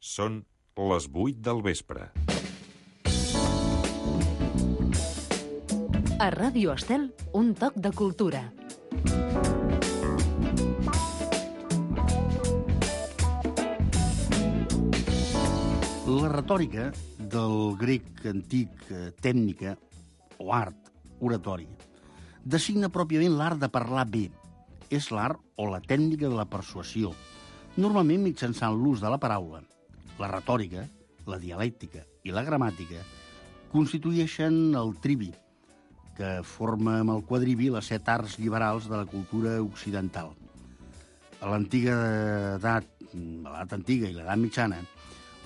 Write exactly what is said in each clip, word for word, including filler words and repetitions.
Són les vuit del vespre. A Ràdio Estel, un toc de cultura. La retòrica, del grec antic tècnica, o art, oratori, designa pròpiament l'art de parlar bé. És l'art o la tècnica de la persuasió, normalment mitjançant l'ús de la paraula. La retòrica, la dialèctica i la gramàtica constitueixen el trivi, que forma amb el quadrivi les set arts liberals de la cultura occidental. A l'antiga edat, a l'edat antiga i l'edat mitjana,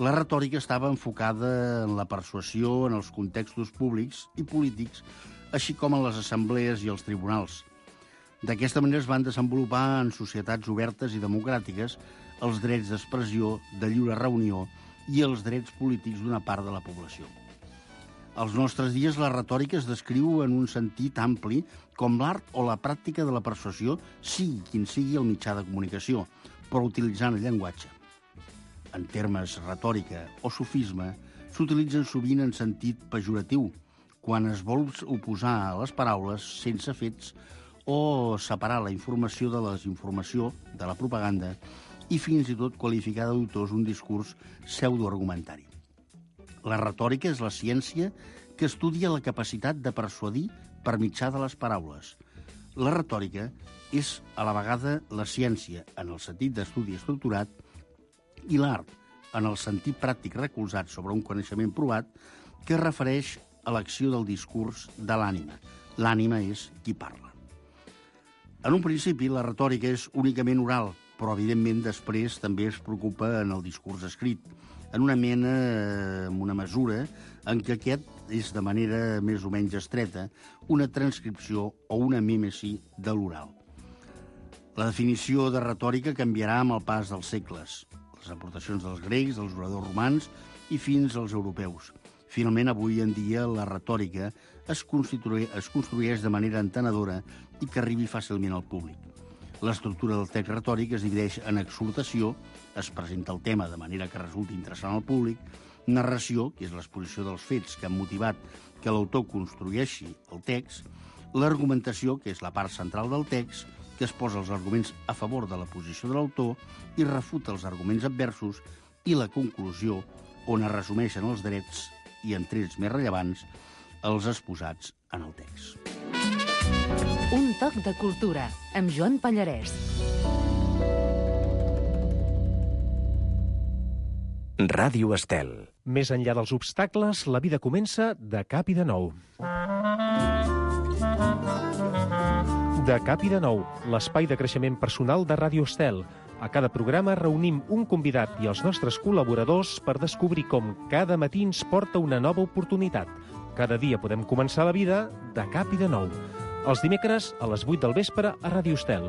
la retòrica estava enfocada en la persuasió en els contextos públics i polítics, així com en les assemblees i els tribunals. D'aquesta manera es van desenvolupar en societats obertes i democràtiques els drets d'expressió, de lliure reunió i els drets polítics d'una part de la població. Als nostres dies, la retòrica es descriu en un sentit ampli com l'art o la pràctica de la persuasió, sigui quin sigui el mitjà de comunicació, però utilitzant el llenguatge. En termes retòrica o sofisme, s'utilitzen sovint en sentit pejoratiu, quan es vol oposar a les paraules sense fets o separar la informació de la desinformació, de la propaganda, i fins i tot qualificar d'autors un discurs pseudoargumentari. La retòrica és la ciència que estudia la capacitat de persuadir per mitjà de les paraules. La retòrica és a la vegada la ciència en el sentit d'estudi estructurat i l'art en el sentit pràctic recolzat sobre un coneixement provat que es refereix a l'acció del discurs de l'ànima. L'ànima és qui parla. En un principi, la retòrica és únicament oral, però, evidentment, després també es preocupa en el discurs escrit, en una mena, en una mesura en què aquest és, de manera més o menys estreta, una transcripció o una mímesi de l'oral. La definició de retòrica canviarà amb el pas dels segles, les aportacions dels grecs, dels oradors romans i fins als europeus. Finalment, avui en dia, la retòrica es, constitueix, es construeix de manera entenedora i que arribi fàcilment al públic. L'estructura del text retòric es divideix en exhortació, es presenta el tema de manera que resulti interessant al públic, narració, que és l'exposició dels fets que han motivat que l'autor construeixi el text, l'argumentació, que és la part central del text, que es posa els arguments a favor de la posició de l'autor i refuta els arguments adversos, i la conclusió, on es resumeixen els drets i, en trets més rellevants, els exposats en el text. Un toc de cultura, amb Joan Pallarès. Ràdio Estel. Més enllà dels obstacles, la vida comença de cap i de nou. De cap i de nou, l'espai de creixement personal de Ràdio Estel. A cada programa reunim un convidat i els nostres col·laboradors per descobrir com cada matí ens porta una nova oportunitat. Cada dia podem començar la vida de cap i de nou. Els dimecres a les vuit del vespre a Ràdio Estel.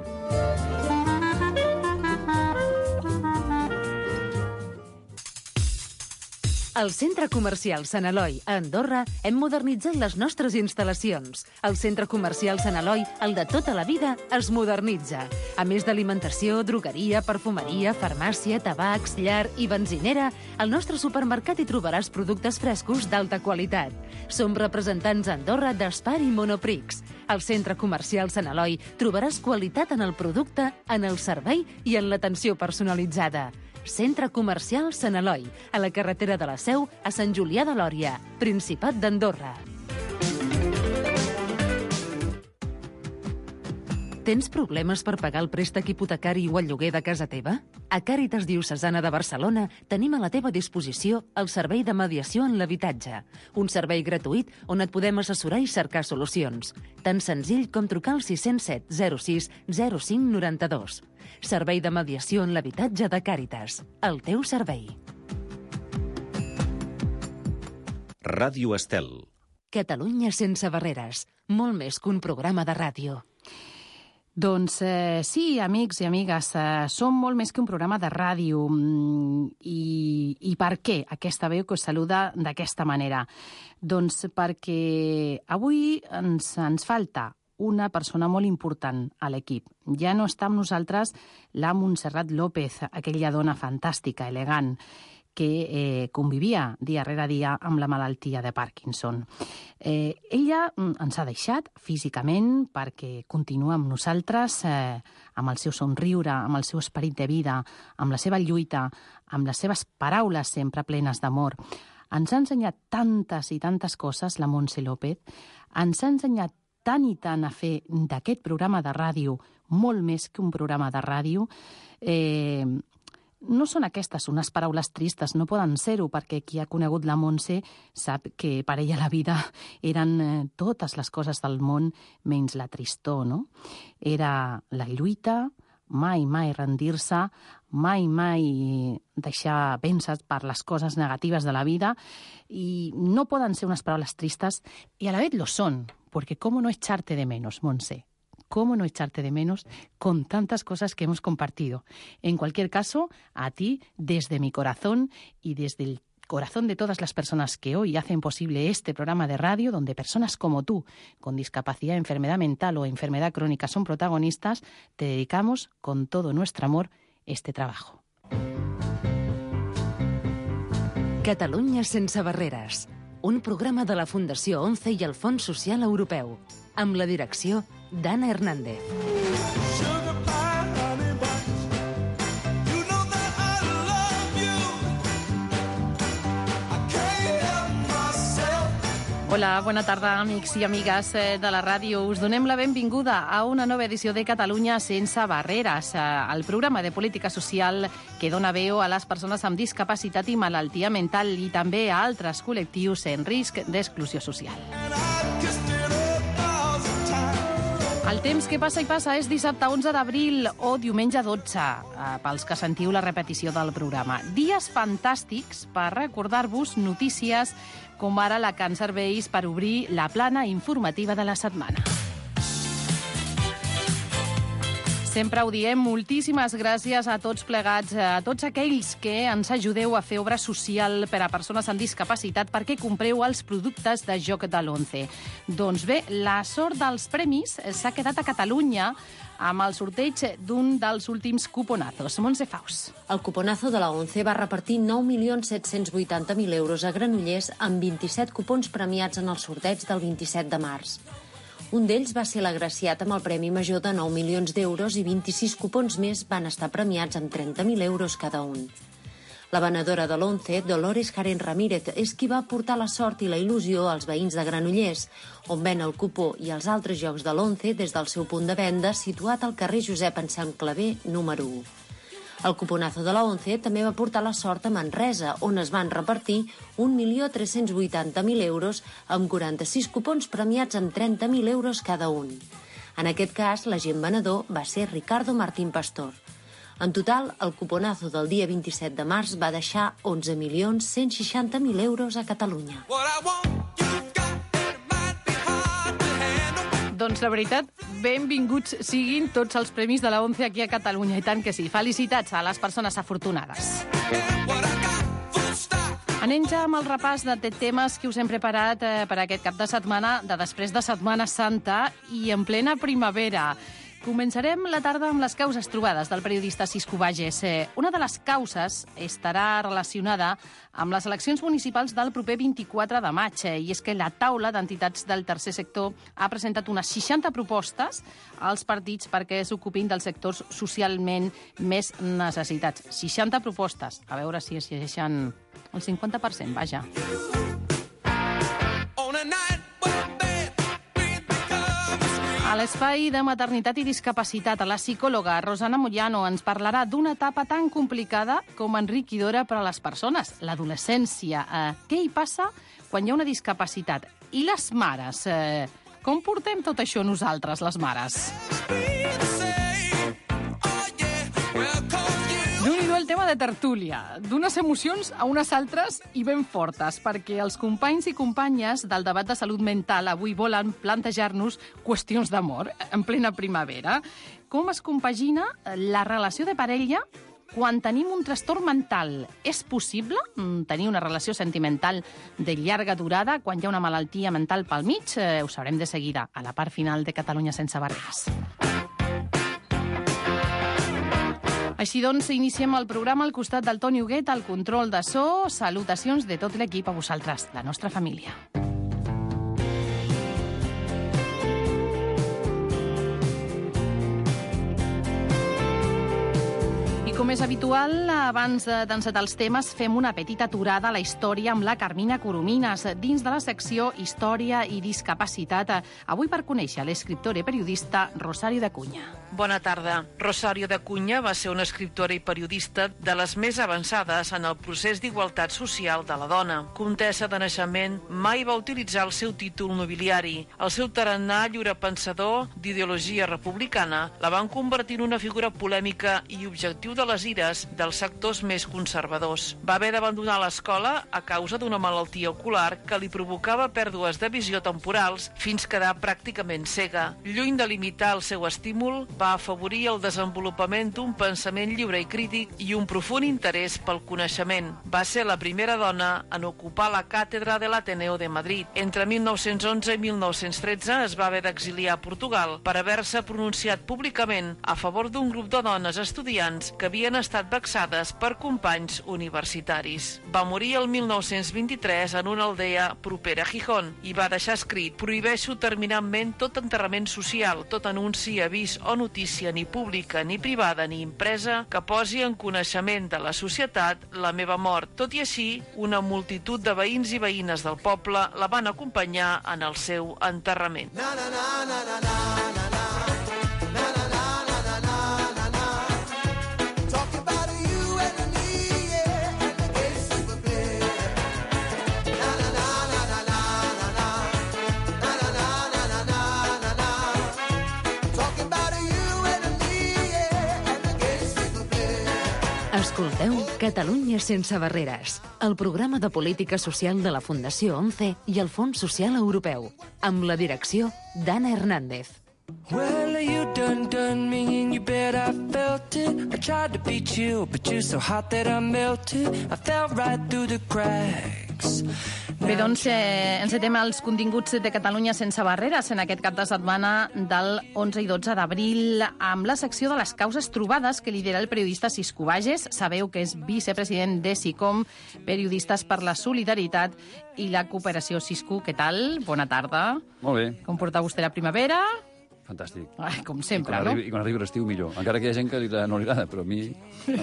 Al Centre Comercial Sant Eloi, a Andorra, hem modernitzat les nostres instal·lacions. El Centre Comercial Sant Eloi, el de tota la vida, es modernitza. A més d'alimentació, drogueria, perfumeria, farmàcia, tabacs, llar i benzinera, al nostre supermercat hi trobaràs productes frescos d'alta qualitat. Som representants a Andorra d'Espar i Monoprix. Al Centre Comercial Sant Eloi trobaràs qualitat en el producte, en el servei i en l'atenció personalitzada. Centre Comercial Sant Eloi, a la carretera de la Seu, a Sant Julià de Lòria, Principat d'Andorra. Tens problemes per pagar el préstec hipotecari o el lloguer de casa teva? A Càritas Diocesana de Barcelona tenim a la teva disposició el servei de mediació en l'habitatge, un servei gratuït on et podem assessorar i cercar solucions. Tan senzill com trucar al sis zero set zero sis zero cinc nou dos. Servei de mediació en l'habitatge de Càritas. El teu servei. Ràdio Estel. Catalunya sense barreres. Molt més que un programa de ràdio. Doncs eh, sí, amics i amigues, eh, som molt més que un programa de ràdio. I, i per què aquesta veu que us saluda d'aquesta manera? Doncs perquè avui ens, ens falta una persona molt important a l'equip. Ja no està amb nosaltres la Montserrat López, aquella dona fantàstica, elegant, que eh, convivia dia rere dia amb la malaltia de Parkinson. Eh, ella ens ha deixat físicament perquè continua amb nosaltres, eh, amb el seu somriure, amb el seu esperit de vida, amb la seva lluita, amb les seves paraules sempre plenes d'amor. Ens ha ensenyat tantes i tantes coses, la Montse López. Ens ha ensenyat tant i tant a fer d'aquest programa de ràdio molt més que un programa de ràdio. Eh, no són aquestes unes paraules tristes, no poden ser-ho, perquè qui ha conegut la Montse sap que per ella la vida eren eh, totes les coses del món menys la tristor, no? Era la lluita, mai, mai rendir-se, mai, mai deixar vèncer per les coses negatives de la vida, i no poden ser unes paraules tristes, i a la vez lo son, porque cómo no echarte de menos, Montse. ¿Cómo no echarte de menos con tantas cosas que hemos compartido? En cualquier caso, a ti, desde mi corazón y desde el corazón de todas las personas que hoy hacen posible este programa de radio, donde personas como tú, con discapacidad, enfermedad mental o enfermedad crónica son protagonistas, te dedicamos con todo nuestro amor este trabajo. Catalunya sense barreres. Un programa de la Fundació ONCE i el Fons Social Europeu, amb la direcció d'Anna Hernández. Hola, bona tarda, amics i amigues de la ràdio. Us donem la benvinguda a una nova edició de Catalunya sense barreres, el programa de política social que dona veu a les persones amb discapacitat i malaltia mental i també a altres col·lectius en risc d'exclusió social. El temps que passa i passa és dissabte onze d'abril o diumenge dotze, pels que sentiu la repetició del programa. Dies fantàstics per recordar-vos notícies com ara la que ens serveix per obrir la plana informativa de la setmana. Sempre ho diem, moltíssimes gràcies a tots plegats, a tots aquells que ens ajudeu a fer obra social per a persones amb discapacitat perquè compreu els productes de joc de l'ONCE. Doncs bé, la sort dels premis s'ha quedat a Catalunya amb el sorteig d'un dels últims cuponazos. Montse Faus. El cuponazo de la ONCE va repartir nou milions set-cents vuitanta mil euros a Granollers amb vint-i-set cupons premiats en el sorteig del vint-i-set de març. Un d'ells va ser l'agraciat amb el premi major de nou milions d'euros i vint-i-sis cupons més van estar premiats amb trenta mil euros cada un. La venedora de l'ONCE, Dolores Jaren Ramírez, és qui va portar la sort i la il·lusió als veïns de Granollers, on ven el cupó i els altres jocs de l'ONCE des del seu punt de venda situat al carrer Josep Anselm Clavé, número u. El cuponazo de la ONCE també va portar la sort a Manresa, on es van repartir un milió tres-cents vuitanta mil euros amb quaranta-sis cupons premiats amb trenta mil euros cada un. En aquest cas, l'agent venedor va ser Ricardo Martín Pastor. En total, el cuponazo del dia vint-i-set de març va deixar onze milions cent seixanta mil euros a Catalunya. Doncs la veritat, benvinguts siguin tots els premis de la ONCE aquí a Catalunya, i tant que sí. Felicitats a les persones afortunades. Anem ja amb el repàs de temes que us hem preparat eh, per aquest cap de setmana, de després de Setmana Santa i en plena primavera. Començarem la tarda amb les causes trobades del periodista Cisco Bages. Una de les causes estarà relacionada amb les eleccions municipals del proper vint-i-quatre de maig, i és que la taula d'entitats del tercer sector ha presentat unes seixanta propostes als partits perquè s'ocupin dels sectors socialment més necessitats. seixanta propostes. A veure si es llegeixen el cinquanta per cent, vaja. A l'espai de maternitat i discapacitat, la psicòloga Rosana Moyano ens parlarà d'una etapa tan complicada com enriquidora per a les persones, l'adolescència. Eh, què hi passa quan hi ha una discapacitat? I les mares? Eh, com portem tot això nosaltres, les mares? Déu-n'hi-do el tema de tertúlia, d'unes emocions a unes altres i ben fortes, perquè els companys i companyes del debat de salut mental avui volen plantejar-nos qüestions d'amor en plena primavera. Com es compagina la relació de parella quan tenim un trastorn mental? És possible tenir una relació sentimental de llarga durada quan hi ha una malaltia mental pel mig? Eh, ho sabrem de seguida, a la part final de Catalunya sense barreres. Així doncs, iniciem el programa al costat del Toni Huguet, al control de so. Salutacions de tot l'equip a vosaltres, la nostra família. Com és habitual, abans d'encetar els temes, fem una petita aturada a la història amb la Carmina Coromines, dins de la secció Història i Discapacitat. Avui per conèixer l'escriptora i periodista Rosario de Cunha. Bona tarda. Rosario de Cunha va ser una escriptora i periodista de les més avançades en el procés d'igualtat social de la dona. Comtessa de naixement, mai va utilitzar el seu títol nobiliari. El seu tarannà lliurepensador d'ideologia republicana la van convertir en una figura polèmica i objectiu de les ires dels sectors més conservadors. Va haver d'abandonar l'escola a causa d'una malaltia ocular que li provocava pèrdues de visió temporals fins quedar pràcticament cega. Lluny de limitar el seu estímul, va afavorir el desenvolupament d'un pensament lliure i crític i un profund interès pel coneixement. Va ser la primera dona en ocupar la càtedra de l'Ateneo de Madrid. Entre mil nou-cents onze i mil nou-cents tretze es va haver d'exiliar a Portugal per haver-se pronunciat públicament a favor d'un grup de dones estudiants que havien estat vexades per companys universitaris. Va morir el mil nou-cents vint-i-tres en una aldea propera a Gijón i va deixar escrit: prohibeixo terminantment tot enterrament social, tot anunci, avís o notícia ni pública, ni privada, ni impresa que posi en coneixement de la societat la meva mort. Tot i així, una multitud de veïns i veïnes del poble la van acompanyar en el seu enterrament. Na, na, na, na, na, na, na. Escolteu Catalunya sense barreres, el programa de política social de la Fundació ONCE i el Fons Social Europeu, amb la direcció d'Anna Hernández. Well, you done done me in your bed, I felt it. I tried to beat you, but you're so hot that I melted. I fell right through the cracks. Bé, doncs, eh, encetem els continguts de Catalunya sense barreres en aquest cap de setmana del onze i dotze d'abril amb la secció de les causes trobades que lidera el periodista Cisco Bages. Sabeu que és vicepresident de SICOM, Periodistes per la Solidaritat i la Cooperació. Cisco, què tal? Bona tarda. Molt bé. Com porta vostè la primavera? Fantàstic. Ai, com sempre, I no? Arribi, I quan arribi l'estiu, millor. Encara que hi ha gent que li, no li agrada, però a mi...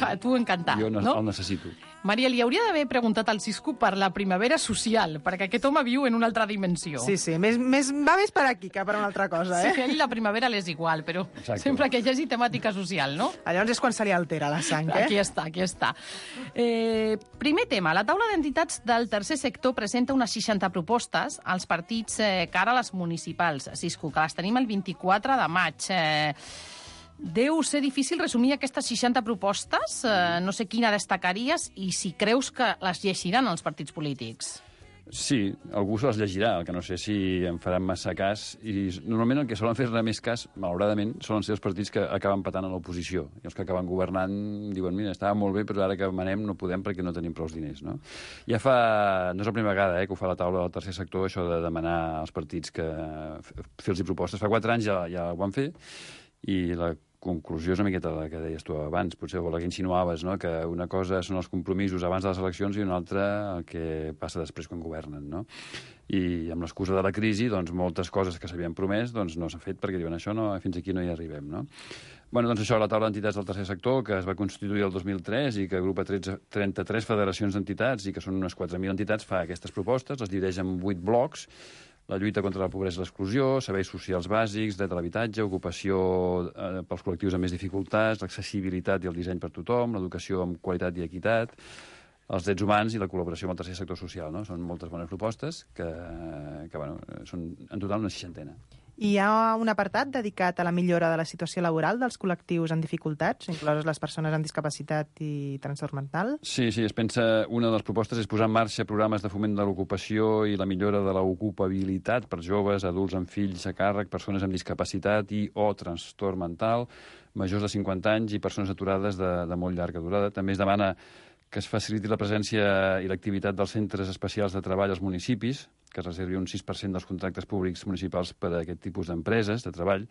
A tu encantat, jo no? el necessito. Maria, li hauria d'haver preguntat al Cisco per la primavera social, perquè aquest home viu en una altra dimensió. Sí, sí, més, més, va més per aquí que per una altra cosa, eh? Sí, a ell la primavera l'és igual, però Exacte. Sempre que hi hagi temàtica social, no? Llavors és quan se li altera la sang, eh? Aquí està, aquí està. Eh, primer tema, la taula d'entitats del tercer sector presenta unes seixanta propostes als partits eh, cara a les municipals. Cisco, que les tenim el vint-i-quatre de maig. Eh, Deu ser difícil resumir aquestes seixanta propostes? Eh, no sé quina destacaries i si creus que les llegiran els partits polítics. Sí, algú se les llegirà, el que no sé si en faran massa cas. I normalment el que solen fer-ne més cas, malauradament, solen ser els partits que acaben patant a l'oposició. I els que acaben governant diuen, mira, estava molt bé, però ara que manem no podem perquè no tenim prou diners, no? Ja fa... No és la primera vegada eh, que ho fa la taula del tercer sector, això de demanar als partits que fer-los propostes. Fa quatre anys ja, ja ho van fer i la conclusió és una miqueta la que deies tu abans, potser la que insinuaves, no? Que una cosa són els compromisos abans de les eleccions i una altra el que passa després quan governen, no? I amb l'excusa de la crisi, doncs, moltes coses que s'havien promès doncs, no s'han fet perquè diuen això no, fins aquí no hi arribem, no? Bueno, doncs això, la taula d'entitats del tercer sector, que es va constituir el dos mil tres i que agrupa trenta-tres federacions d'entitats i que són unes quatre mil entitats, fa aquestes propostes, les divideix en vuit blocs: la lluita contra la pobresa i l'exclusió, serveis socials bàsics, dret a l'habitatge, ocupació eh, pels col·lectius amb més dificultats, l'accessibilitat i el disseny per tothom, l'educació amb qualitat i equitat, els drets humans i la col·laboració amb el tercer sector social, no? Són moltes bones propostes que, que bueno, són en total una seixantena. I hi ha un apartat dedicat a la millora de la situació laboral dels col·lectius en dificultats, incloses les persones amb discapacitat i trastorn mental? Sí, sí, es pensa... Una de les propostes és posar en marxa programes de foment de l'ocupació i la millora de l'ocupabilitat per joves, adults amb fills a càrrec, persones amb discapacitat i o trastorn mental, majors de cinquanta anys i persones aturades de, de molt llarga durada. També es demana que es faciliti la presència i l'activitat dels centres especials de treball als municipis, que es reservi un sis per cent dels contractes públics municipals per a aquest tipus d'empreses de treball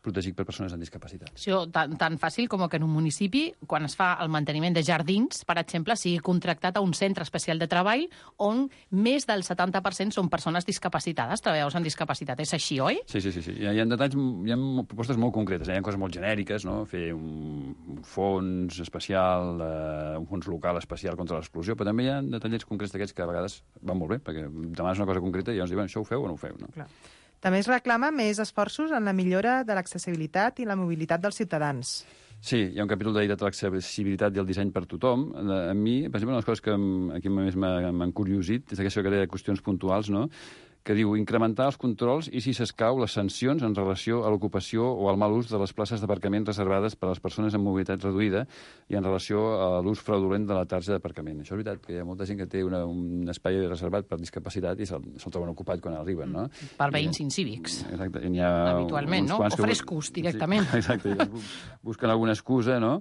protegit per persones amb discapacitat. Sí, tan, tan fàcil com que en un municipi, quan es fa el manteniment de jardins, per exemple, sigui contractat a un centre especial de treball on més del setanta per cent són persones discapacitades, treballadors amb discapacitat. És així, oi? Sí, sí, sí. sí. Hi, ha, hi ha detalls, hi ha propostes molt concretes, hi ha coses molt genèriques, no? Fer un, un fons especial, eh, un fons local especial contra l'exclusió, però també hi ha detallets concrets d'aquests que a vegades van molt bé, perquè demanes una cosa concreta i llavors diuen això ho feu o no ho feu, no? Clar. També es reclama més esforços en la millora de l'accessibilitat i la mobilitat dels ciutadans. Sí, hi ha un capítol dedicat a l'accessibilitat i el disseny per tothom. A mi, per exemple, una de les coses que aquí més m'han curiosit és aquesta de qüestions puntuals, no?, que diu incrementar els controls i, si s'escau, les sancions en relació a l'ocupació o al mal ús de les places d'aparcament reservades per a les persones amb mobilitat reduïda i en relació a l'ús fraudulent de la tarja d'aparcament. Això és veritat, que hi ha molta gent que té una, un espai reservat per discapacitat i se'l se troben ocupat quan arriben, no? Per veïns incívics. Exacte. I ha habitualment, no? O frescos, directament. Sí, exacte. Busquen alguna excusa, no?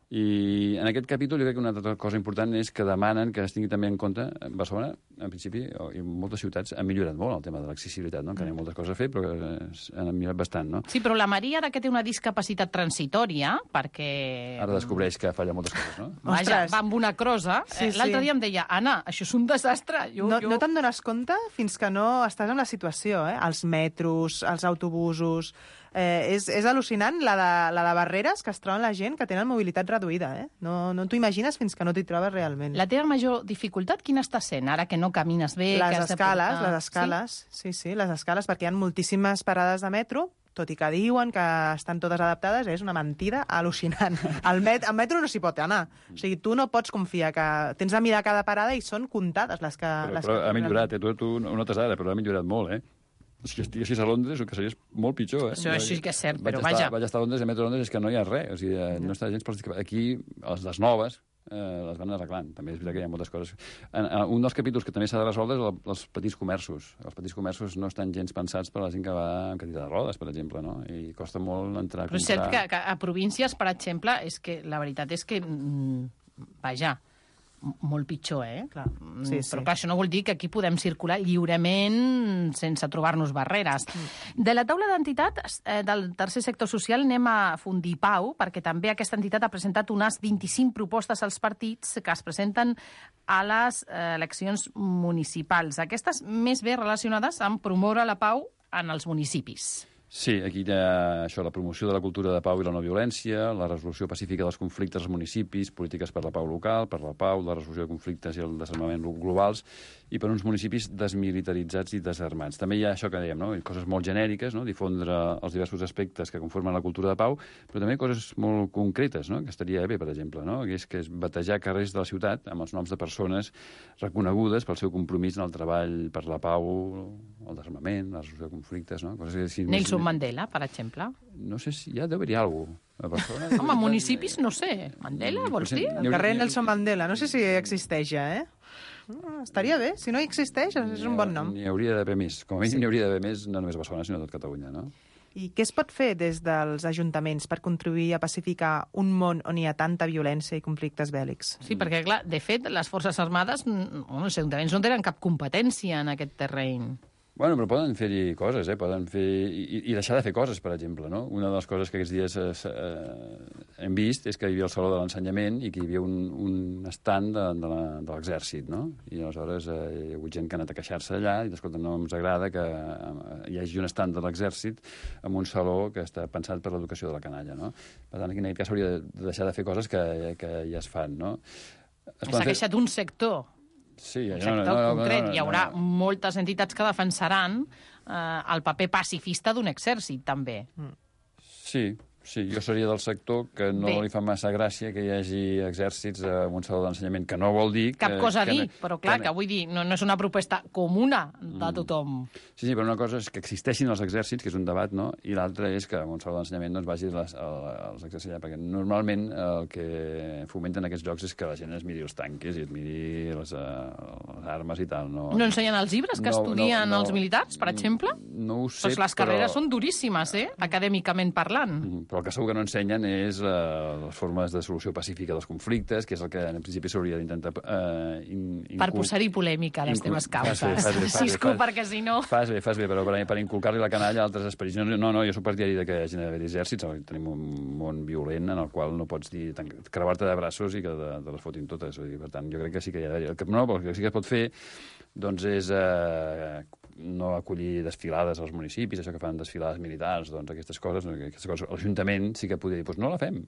I en aquest capítol jo crec que una altra cosa important és que demanen que es tingui també en compte Barcelona, en principi, i moltes ciutats han millorat molt el tema de l'accessibilitat, no? Encara hi ha moltes coses a fer, però que han millorat bastant, no? Sí, però la Maria ara que té una discapacitat transitòria, perquè... Ara descobreix que falla moltes coses, no? Vaja, va amb una crosa. Sí, sí. L'altre dia em deia, Anna, això és un desastre. Jo, no jo... no te'n dones compte fins que no estàs en la situació, eh? Els metros, els autobusos... Eh, és, és al·lucinant la de, la de barreres que es troben la gent que tenen mobilitat reduïda. Eh? No, no t'ho imagines fins que no t'hi trobes realment. La teva major dificultat quina està sent, ara que no camines bé? Les que has escales, de portar... les escales, sí? sí, sí, les escales, perquè hi ha moltíssimes parades de metro, tot i que diuen que estan totes adaptades, és una mentida al·lucinant. Al met, al metro no s'hi pot anar. O sigui, tu no pots confiar que tens de mirar cada parada i són comptades les que... Però, les però que ha millorat, eh? tu, tu no notes ara, però ha millorat molt, eh? Si estiguessis a Londres, el que seria molt pitjor, eh? Això sí que és cert, però vaig vaja... Estar, vaig estar a Londres, i a metro Londres és que no hi ha res, o sigui, no està gens pels discapacitats. Aquí, les, les noves, eh, les van arreglant. També és veritat que hi ha moltes coses. En, en, un dels capítols que també s'ha de resoldre és el, els petits comerços. Els petits comerços no estan gens pensats per a la gent que va amb cadira de rodes, per exemple, no? I costa molt entrar a comprar... Però és cert que, que a províncies, per exemple, és que la veritat és que, mm, vaja, molt pitjor, eh? Clar. Sí, sí. Però clar, això no vol dir que aquí podem circular lliurement sense trobar-nos barreres. Mm. De la taula d'entitats eh, del tercer sector social anem a fundir pau, perquè també aquesta entitat ha presentat unes vint-i-cinc propostes als partits que es presenten a les eh, eleccions municipals. Aquestes més bé relacionades amb promoure la pau en els municipis. Sí, aquí hi ha això, la promoció de la cultura de pau i la no violència, la resolució pacífica dels conflictes als municipis, polítiques per la pau local, per la pau, la resolució de conflictes i el desarmament globals, i per uns municipis desmilitaritzats i desarmats. També hi ha això que dèiem, no? Coses molt genèriques, no? Difondre els diversos aspectes que conformen la cultura de pau, però també coses molt concretes, no? Que estaria bé, per exemple, no? Que és, que és batejar carrers de la ciutat amb els noms de persones reconegudes pel seu compromís en el treball per la pau, el desarmament, la resolució de conflictes, no? Coses que, si Nelson Mandela, per exemple. No sé si ja deu haver-hi alguna cosa. Home, municipis, no sé. Mandela, vols dir? El carrer Nelson Mandela, no sé si existeix ja, eh? Ah, estaria bé, si no existeix, és un bon nom. N'hi hauria d'haver més. Com a mínim n'hi hauria d'haver més, no només a Barcelona, sinó a tot Catalunya, no? I què es pot fer des dels ajuntaments per contribuir a pacificar un món on hi ha tanta violència i conflictes bèl·lics? Sí, perquè, clar, de fet, les Forces Armades, bueno, els ajuntaments no tenen cap competència en aquest terreny. Bueno, però poden fer-hi coses, eh? Poden fer... I, i deixar de fer coses, per exemple, no? Una de les coses que aquests dies eh, eh, hem vist és que hi havia el Saló de l'Ensenyament i que hi havia un, un stand de, de l'exèrcit, no? I aleshores eh, hi ha hagut gent que ha anat a queixar-se allà i, escolta, no ens agrada que eh, hi hagi un stand de l'exèrcit en un saló que està pensat per l'educació de la canalla, no? Per tant, aquí en aquest cas s'hauria de deixar de fer coses que, que ja es fan, no? S'ha queixat d'un sector. Sí, un sector no, no, no, concret. no, no, Hi haurà no. moltes entitats que defensaran eh, el paper pacifista d'un exèrcit, també. Sí, sí, jo seria del sector que no Bé. li fa massa gràcia que hi hagi exèrcits en un saló d'ensenyament, que no vol dir... Cap que, cosa a que, dir, però clar, que, que vull dir, no, no és una proposta comuna de tothom. Sí, sí, però una cosa és que existeixin els exèrcits, que és un debat, no? I l'altra és que en un saló d'ensenyament doncs, vagi les, els exèrcits allà, perquè normalment el que fomenten aquests jocs és que la gent es miri els tanques i es miri les, les armes i tal. No, no ensenyen els llibres que no, estudien no, no, els militars, per exemple? No ho sé, Pues les però... carreres són duríssimes, eh? Acadèmicament parlant. Però Però el que segur que no ensenyen és uh, les formes de solució pacífica dels conflictes, que és el que en principi s'hauria d'intentar... Uh, in, per posar-hi polèmica a les teves causes. Fas bé, fas bé, fas bé, Cisco, fas, perquè si no... Fas bé, fas bé, però per, per inculcar-li la canalla a altres esperits. No, no, no, jo soc partidari de que hi hagi d'haver exèrcits, tenim un món violent en el qual no pots dir creuar-te de braços i que de, de les fotin totes. Per tant, jo crec que sí que hi ha d'haver... No, però el que sí que es pot fer doncs és eh, no acollir desfilades als municipis, això que fan desfilades militars, doncs aquestes coses, aquestes coses l'Ajuntament sí que podria dir, doncs no la fem.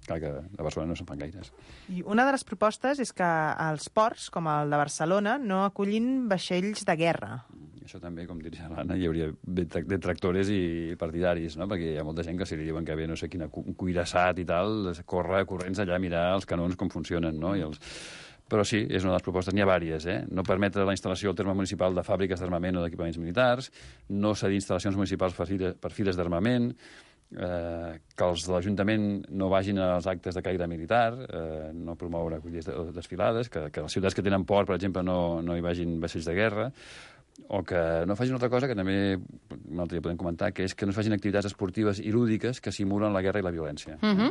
Clar que a Barcelona no se'n fan gaires. I una de les propostes és que els ports, com el de Barcelona, no acullin vaixells de guerra. Això també, com diria l'Anna, hi hauria detractores i partidaris, no? Perquè hi ha molta gent que si li diuen que ve no sé quin cuirassat i tal, corre corrents allà a mirar els canons com funcionen, no? I els... Però sí, és una de les propostes, n'hi ha vàries, eh? No permetre la instal·lació al terme municipal de fàbriques d'armament o d'equipaments militars, no cedir instal·lacions municipals per files, per files d'armament, eh, que els de l'Ajuntament no vagin als actes de caire militar, eh, no promoure acollides desfilades, que, que les ciutats que tenen port, per exemple, no, no hi vagin vaixells de guerra, o que no facin una altra cosa que també un altre dia podem comentar, que és que no es facin activitats esportives i lúdiques que simulen la guerra i la violència. Uh -huh.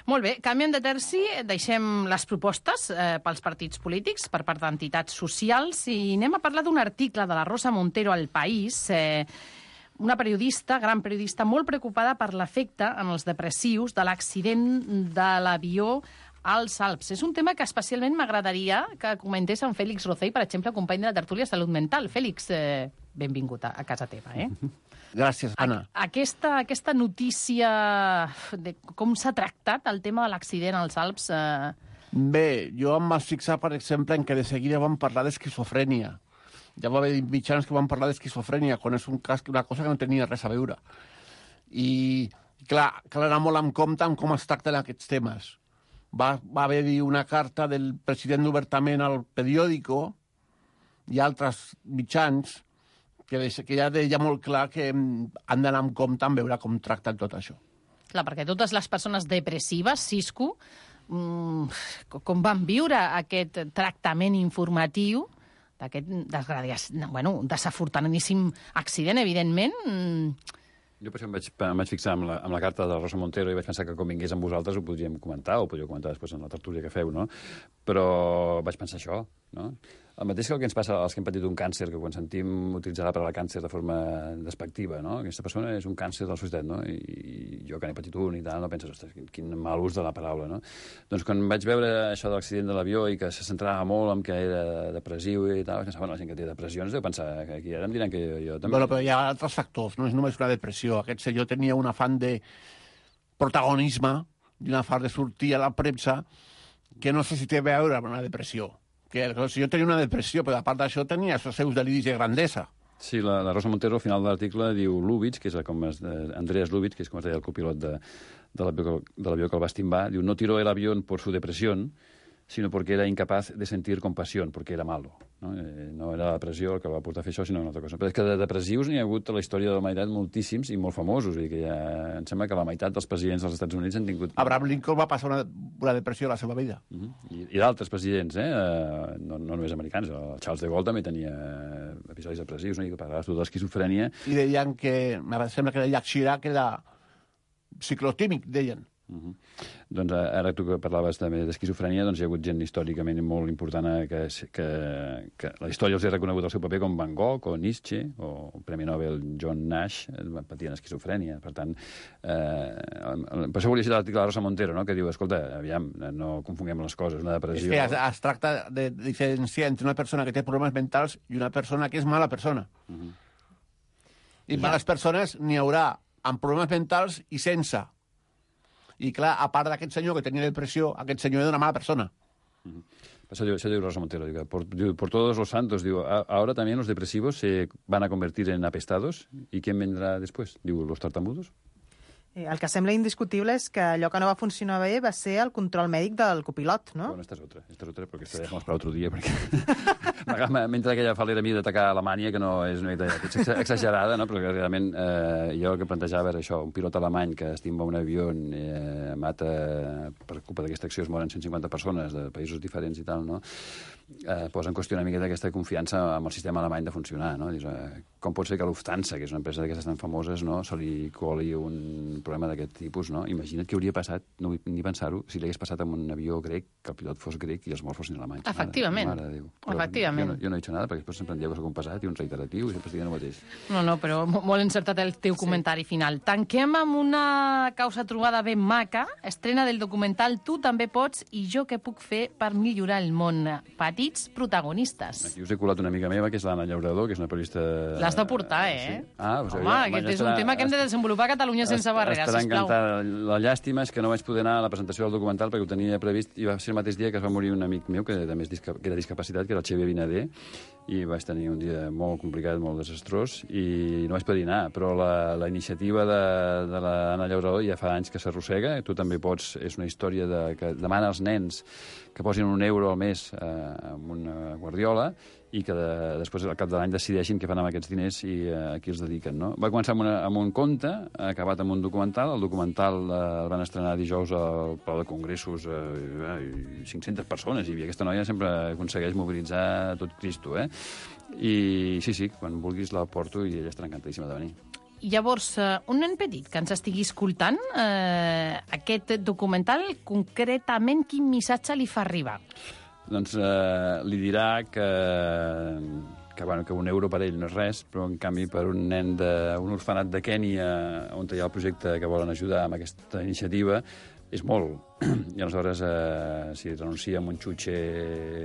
Molt bé, canviem de terci, deixem les propostes eh, pels partits polítics per part d'entitats socials i anem a parlar d'un article de la Rosa Montero al País, eh, una periodista, gran periodista, molt preocupada per l'efecte en els depressius de l'accident de l'avió als Alps. És un tema que especialment m'agradaria que comentés en Fèlix Rocell, per exemple, company de la tertúlia Salut Mental. Fèlix, eh, benvingut a, a casa teva, eh? Gràcies, Anna. A, aquesta, aquesta notícia de com s'ha tractat el tema de l'accident als Alps... Eh... Bé, jo em vaig fixar, per exemple, en que de seguida vam parlar d'esquizofrènia. Ja va haver mitjans que van parlar d'esquizofrènia, quan és un cas, una cosa que no tenia res a veure. I, clar, cal anar molt en compte amb com es tracten aquests temes. Va, va haver-hi una carta del president obertament al periòdico i altres mitjans que, que ja deia molt clar que han d'anar en compte en veure com tracten tot això. Clar, perquè totes les persones depressives, Cisco, mmm, com van viure aquest tractament informatiu d'aquest bueno, desafortunadíssim accident, evidentment... Mmm, Jo per això em vaig, em vaig fixar amb la, amb la carta de la Rosa Montero i vaig pensar que com vingués amb vosaltres ho podríem comentar, o podríeu comentar després en la tertúlia que feu, no? Però vaig pensar això, no? El mateix que el que ens passa als que hem patit un càncer, que quan sentim utilitzar la paraula càncer de forma despectiva, no? Aquesta persona és un càncer de la societat, no? I jo que n'he patit un i tal, no penses, ostres, quin mal ús de la paraula, no? Doncs quan vaig veure això de l'accident de l'avió i que se centrava molt en que era depressiu i tal, vaig pensar, bueno, la gent que té depressions deu pensar que aquí ara em diran que jo, jo també... Bueno, però hi ha altres factors, no és només una depressió. Aquest senyor tenia un afany de protagonisme i un afany de sortir a la premsa que no sé si té a veure amb una depressió. Que si jo tenia una depressió, però a part d'això tenia els seus deliris de grandesa. Sí, la, la Rosa Montero al final de l'article diu Lubitsch, que és com es, eh, Andreas Lubitsch, que és com es deia el copilot de, de l'avió que el va estimbar, diu, no tiró el avión por su depresión, sino porque era incapaz de sentir compasión, porque era malo. No, eh, no era la depressió el que va portar a fer això, sinó una altra cosa. Però és que de depressius n'hi ha hagut a la història de la humanitat moltíssims i molt famosos. I que ja, em sembla que la meitat dels presidents dels Estats Units han tingut... Abraham Lincoln va passar una, una depressió a la seva vida. Uh -huh. I, i d'altres presidents, eh? No, no només americans. El Charles de Gaulle també tenia episodis depressius, no? I que parlava de l'esquizofrènia. I deien que, em sembla que deia Chirac, que era ciclotímic, deien. Uh -huh. Doncs ara tu que parlaves també d'esquizofrènia, doncs hi ha hagut gent històricament molt important que, que, que la història els ha reconegut el seu paper, com Van Gogh o Nietzsche o el Premi Nobel John Nash, patien esquizofrènia. Per tant, eh, per això volia citar l'article de Rosa Montero, no? Que diu, escolta, aviam, no confonguem les coses, una depressió... És que es, es tracta de diferenciar entre una persona que té problemes mentals i una persona que és mala persona. Uh -huh. I males persones n'hi haurà amb problemes mentals i sense. I, clar, a part d'aquest senyor que tenia depressió, aquest senyor era una mala persona. Uh -huh. Això diu, això diu Rosa Montero. Diu, por, diu, por todos los santos, diu, ahora también los depresivos se van a convertir en apestados. ¿Y quién vendrá después? Diu, los tartamudos. El que sembla indiscutible és que allò que no va funcionar bé va ser el control mèdic del copilot, no? Bueno, esta és otra, esta és otra, perquè esta dejamos para otro dia, perquè mentre aquella falera mia d'atacar Alemanya, que no és una idea exagerada, no? Però que realment eh, jo el que plantejava era això, un pilot alemany que estimba un avió, eh, mata, per culpa d'aquesta acció es moren cent cinquanta persones de països diferents i tal, no? Eh, posa en qüestió una mica d'aquesta confiança amb el sistema alemany de funcionar, no? Dius, eh, com pot ser que Lufthansa, que és una empresa d'aquestes tan famoses, no? Se li coli un problema d'aquest tipus, no? Imagina't què hauria passat, no vull ni pensar-ho, si li hagués passat amb un avió grec, que el pilot fos grec i els morts fossin alemanys. Efectivament. Mare, mare de Déu. Però Efectivament. Jo no, jo no he dit nada, perquè després sempre em dieu que soc un pesat i un reiteratiu i sempre estic dient el mateix. No, no, però molt encertat el teu sí. comentari final. Tanquem amb una causa trobada ben maca, estrena del documental Tu també pots i jo què puc fer per millorar el món. Petits protagonistes. Aquí us he colat una amiga meva, que és l'Anna Llaurador, que és una periodista... L'has de portar, eh? Sí. Ah, Home, ja, aquest és un tema que hem de desenvolupar a Catalunya sense barreres, estarà sisplau. encantada. La llàstima és que no vaig poder anar a la presentació del documental perquè ho tenia previst i va ser el mateix dia que es va morir un amic meu que, també és disca... que era discapacitat, que era el Xavier Vinader, i vaig tenir un dia molt complicat, molt desastrós, i no vaig poder anar. Però la, la iniciativa de, de l'Anna Llaurador ja fa anys que s'arrossega. Tu també pots... És una història de, que demana als nens que posin un euro al mes eh, amb una guardiola i que de, després, al cap de l'any, decideixin què fan amb aquests diners i eh, a qui els dediquen, no? Va començar amb, una, amb un conte, ha acabat amb un documental. El documental eh, el van estrenar dijous al Palau de Congressos, eh, cinc-centes persones, i aquesta noia sempre aconsegueix mobilitzar tot Cristo, eh? I sí, sí, quan vulguis la porto i ella estarà encantadíssima de venir. Llavors, un nen petit que ens estigui escoltant eh, aquest documental, concretament, quin missatge li fa arribar? Doncs eh, li dirà que, que, bueno, que un euro per ell no és res, però en canvi per un nen d'un orfenat de Kènia, on hi ha el projecte que volen ajudar amb aquesta iniciativa, és molt. I aleshores, eh, si renuncia amb un xutxe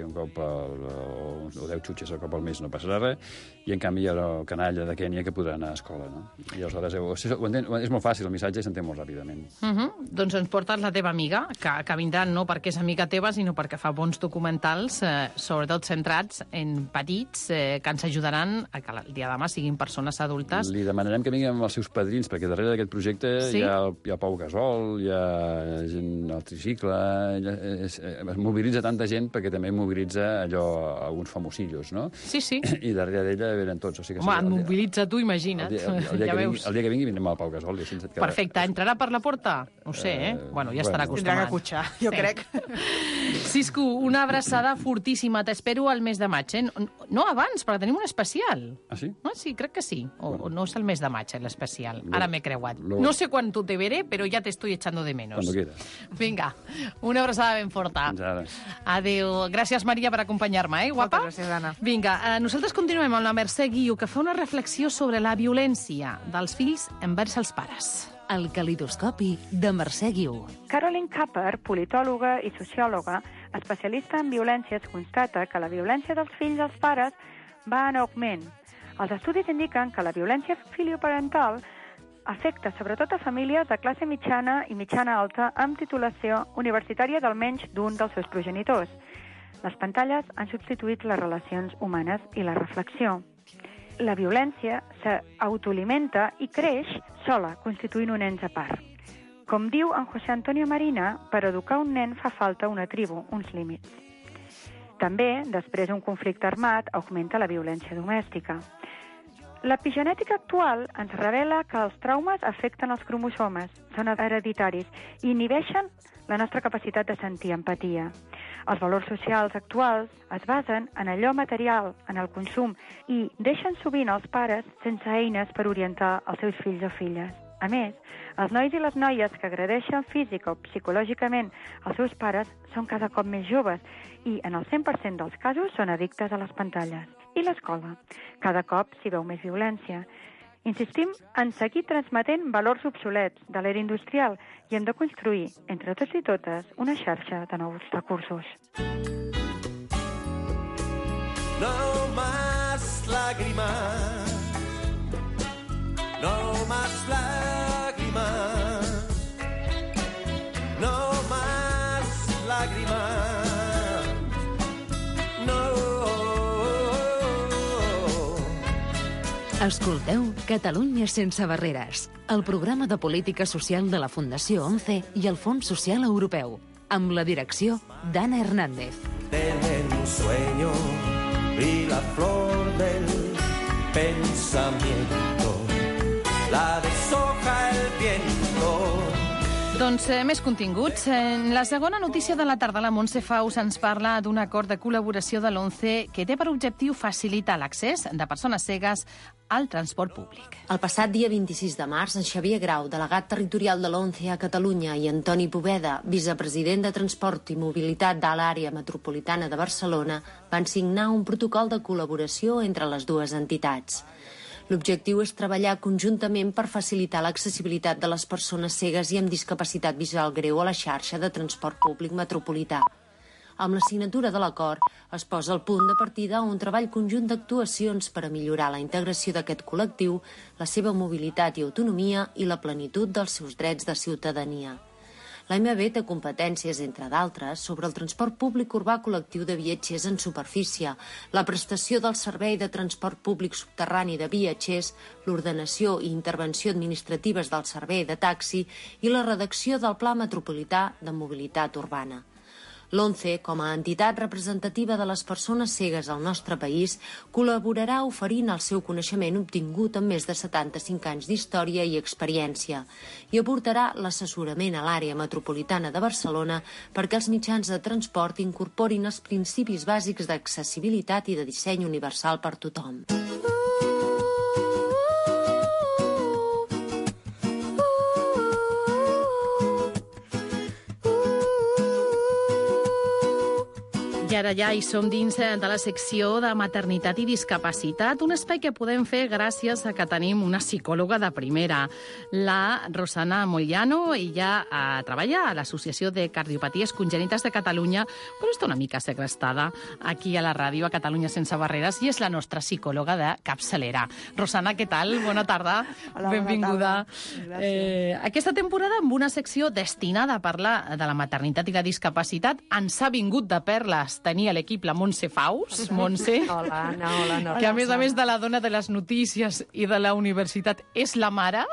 un cop al, o, o deu xutxes al cop al mes no passarà res, i en canvi hi ha el canalla de Kènia que podrà anar a escola, no? I aleshores, ho, ho entén, és molt fàcil, el missatge s'entén molt ràpidament. Uh -huh. Doncs ens portes la teva amiga, que, que vindrà no perquè és amiga teva, sinó perquè fa bons documentals, eh, sobretot centrats en petits, eh, que ens ajudaran a que el dia de demà siguin persones adultes. Li demanarem que vingui amb els seus padrins, perquè darrere d'aquest projecte sí? hi, ha, hi ha Pau Gasol, hi ha gent al tricicle, es, es mobilitza tanta gent perquè també mobilitza allò alguns famosillos, no? Sí, sí. I darrere d'ella venen tots. O sigui que home, sí, et mobilitza tu, imagina't. El dia, el, el dia, ja que, veus. vingui, el dia que vingui vindrem al Pau Gasol. I així et quedarà... Perfecte. Entrarà per la porta? No sé, eh? eh bueno, ja estarà bueno, acostumat. Tindrà que cotxar, jo sí. crec. Cisco, una abraçada fortíssima. T'espero al mes de maig, eh? No abans, perquè tenim un especial. Ah, sí? Ah, sí, crec que sí. O, bueno. o no és el mes de maig, eh, l'especial. Lo, Ara m'he creuat. Lo... No sé cuánto te veré, pero ya te estoy echando de menos. Cuando quieras. Vinga, una abraçada ben forta. Fins ara. Adéu. Gràcies, Maria, per acompanyar-me, eh, guapa? Moltes gràcies, Anna. Vinga, eh, nosaltres continuem amb la Mercè Guiu, que fa una reflexió sobre la violència dels fills envers els pares. El calidoscopi de Mercè Guiu. Caroline Capper, politòloga i sociòloga, especialista en violències, constata que la violència dels fills als pares va en augment. Els estudis indiquen que la violència filioparental afecta sobretot a famílies de classe mitjana i mitjana alta amb titulació universitària d'almenys d'un dels seus progenitors. Les pantalles han substituït les relacions humanes i la reflexió. La violència s'autoalimenta i creix sola, constituint un ens a part. Com diu en José Antonio Marina, per educar un nen fa falta una tribu, uns límits. També, després d'un conflicte armat, augmenta la violència domèstica. L'epigenètica actual ens revela que els traumes afecten els cromosomes, són hereditaris i inhibeixen la nostra capacitat de sentir empatia. Els valors socials actuals es basen en allò material, en el consum, i deixen sovint els pares sense eines per orientar els seus fills o filles. A més, els nois i les noies que agredeixen físic o psicològicament els seus pares són cada cop més joves i, en el cent per cent dels casos, són addictes a les pantalles. I l'escola? Cada cop s'hi veu més violència. Insistim en seguir transmetent valors obsolets de l'era industrial i hem de construir, entre tots i totes, una xarxa de nous recursos. No más lágrimas, no más lágrimas, no más lágrimas, no. Escolteu Catalunya sense barreres, el programa de política social de la Fundació ONCE i el Fons Social Europeu, amb la direcció d'Anna Hernández. Del sueño y la flor del pensamiento, la deshoja el viento. Doncs eh, més continguts. En la segona notícia de la tarda, la Montse Faus ens parla d'un acord de col·laboració de l'ONCE que té per objectiu facilitar l'accés de persones cegues al transport públic. El passat dia vint-i-sis de març, en Xavier Grau, delegat territorial de l'ONCE a Catalunya, i Antoni Poveda, vicepresident de Transport i Mobilitat de l'àrea metropolitana de Barcelona, van signar un protocol de col·laboració entre les dues entitats. L'objectiu és treballar conjuntament per facilitar l'accessibilitat de les persones cegues i amb discapacitat visual greu a la xarxa de transport públic metropolità. Amb la signatura de l'acord es posa el punt de partida a un treball conjunt d'actuacions per a millorar la integració d'aquest col·lectiu, la seva mobilitat i autonomia i la plenitud dels seus drets de ciutadania. L'A M B té competències, entre d'altres, sobre el transport públic urbà col·lectiu de viatgers en superfície, la prestació del servei de transport públic subterrani de viatgers, l'ordenació i intervenció administratives del servei de taxi i la redacció del Pla Metropolità de Mobilitat Urbana. L'ONCE, com a entitat representativa de les persones cegues al nostre país, col·laborarà oferint el seu coneixement obtingut amb més de setanta-cinc anys d'història i experiència i aportarà l'assessorament a l'àrea metropolitana de Barcelona perquè els mitjans de transport incorporin els principis bàsics d'accessibilitat i de disseny universal per tothom. I ara ja hi som dins de la secció de maternitat i discapacitat, un espai que podem fer gràcies a que tenim una psicòloga de primera. La Rosana Mogliano, ella eh, treballa a l'Associació de Cardiopaties Congènites de Catalunya, però està una mica segrestada aquí a la ràdio, a Catalunya Sense Barreres, i és la nostra psicòloga de capçalera. Rosana, què tal? Bona tarda. Hola, benvinguda. Bona tarda. Eh, aquesta temporada, amb una secció destinada a parlar de la maternitat i la discapacitat, ens ha vingut de perles tenir a l'equip la Montse Faus. Montse. Hola, Anna, hola, Anna. Que a més a més de la dona de les notícies i de la universitat és la mare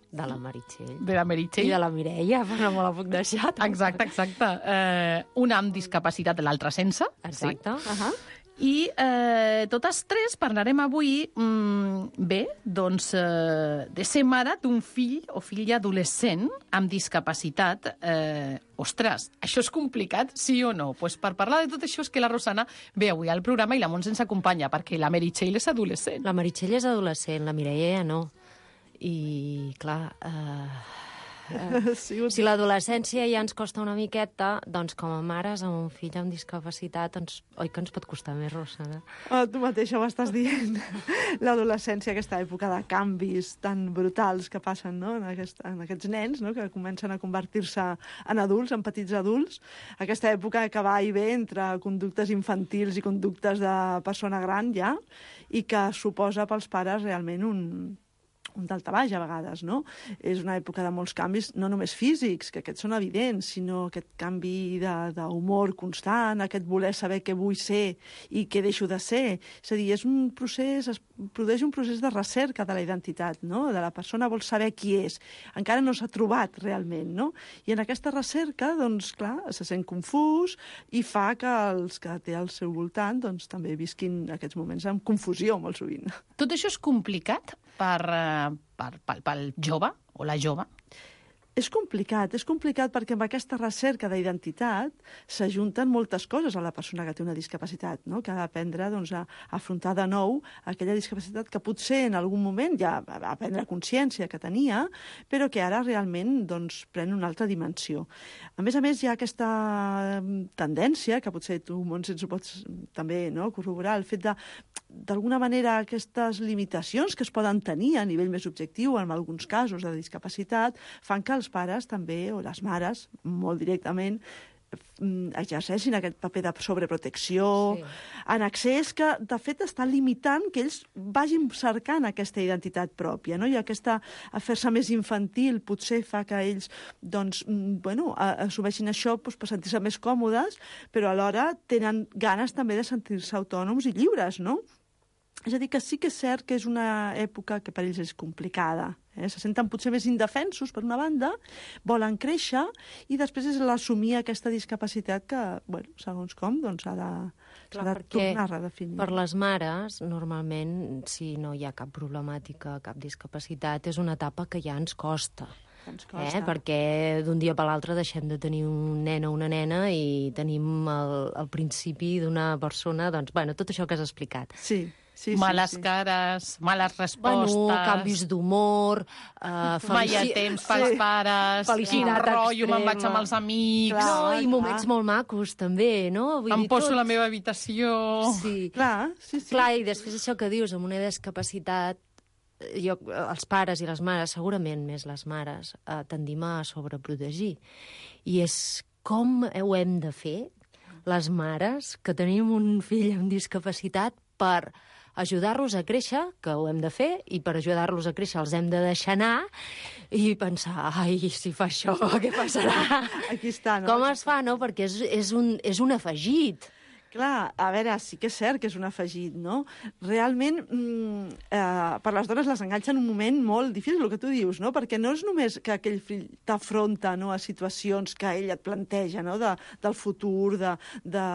de la Meritxell. De la Meritxell. I de la Mireia, però no me la puc deixar. Exacte, exacte. Eh, una amb discapacitat, l'altra sense. Exacte. Sí. Uh -huh. I eh, totes tres parlarem avui, mm, bé, doncs, eh, de ser mare d'un fill o filla adolescent amb discapacitat. Eh, ostres, això és complicat, sí o no? Pues per parlar de tot això és que la Rosana ve avui al programa i la Montse ens acompanya, perquè la Meritxell és adolescent. La Meritxell és adolescent, la Mireia ja no. I, clar... Eh... Uh, si l'adolescència ja ens costa una miqueta, doncs com a mares amb un fill amb discapacitat, doncs, oi que ens pot costar més, Rosana? Oh, tu mateixa ho estàs dient. L'adolescència, aquesta època de canvis tan brutals que passen, no? en, aquest, en aquests nens, no? que comencen a convertir-se en adults, en petits adults. Aquesta època que va i ve entre conductes infantils i conductes de persona gran, ja, i que suposa pels pares realment un... un daltabaix a vegades, no? És una època de molts canvis, no només físics, que aquests són evidents, sinó aquest canvi d'humor constant, aquest voler saber què vull ser i què deixo de ser. És a dir, és un procés, es produeix un procés de recerca de la identitat, no? De la persona vol saber qui és. Encara no s'ha trobat realment, no? I en aquesta recerca, doncs, clar, se sent confús i fa que els que té al seu voltant, doncs, també visquin aquests moments amb confusió, molt sovint. Tot això és complicat per, per, per, pel jove o la jove? És complicat, és complicat perquè amb aquesta recerca d'identitat s'ajunten moltes coses a la persona que té una discapacitat, no? Que ha d'aprendre doncs, a afrontar de nou aquella discapacitat que potser en algun moment ja va prendre consciència que tenia, però que ara realment doncs, pren una altra dimensió. A més a més, hi ha aquesta tendència, que potser tu, Montse, ens ho pots també no, corroborar, el fet de, d'alguna manera, aquestes limitacions que es poden tenir a nivell més objectiu, en alguns casos de discapacitat, fan que els pares també, o les mares, molt directament, exerceixin aquest paper de sobreprotecció sí. en excés que, de fet, està limitant que ells vagin cercant aquesta identitat pròpia, no? I aquesta fer-se més infantil potser fa que ells doncs, bueno, assumeixin això doncs, per sentir-se més còmodes, però alhora tenen ganes també de sentir-se autònoms i lliures, no? És a dir, que sí que és cert que és una època que per ells és complicada. Eh? Se senten potser més indefensos, per una banda, volen créixer, i després és l'assumir aquesta discapacitat que, bueno, segons com, doncs s'ha de, Clar, de tornar a redefinir. Per les mares, normalment, si no hi ha cap problemàtica, cap discapacitat, és una etapa que ja ens costa. Ens costa. Eh? Perquè d'un dia per l'altre deixem de tenir un nen o una nena i tenim el, el principi d'una persona, doncs, bueno, tot això que has explicat. Sí. Sí, males sí, sí. cares, males respostes... Bueno, canvis d'humor... Uh, mai hi ha temps pels sí. pares... Quin rotllo, me'n vaig amb els amics... Clar, no, i moments clar. molt macos, també, no? Vull em dir, poso tot... a la meva habitació... Sí. Clar, sí, sí. Clar, i després això que dius, amb una discapacitat, jo, els pares i les mares, segurament més les mares, eh, tendim a sobreprotegir. I és com ho hem de fer, les mares, que tenim un fill amb discapacitat, per ajudar-los a créixer, que ho hem de fer, i per ajudar-los a créixer els hem de deixar anar i pensar, ai, si fa això, què passarà? Aquí està, no? Com es fa, no? Perquè és, és, un, és un afegit. Clar, a veure, sí que és cert que és un afegit, no? Realment, mm, eh, per les dones les enganxa en un moment molt difícil, el que tu dius, no? Perquè no és només que aquell fill t'afronta, no?, a situacions que ell et planteja, no?, de, del futur, de, de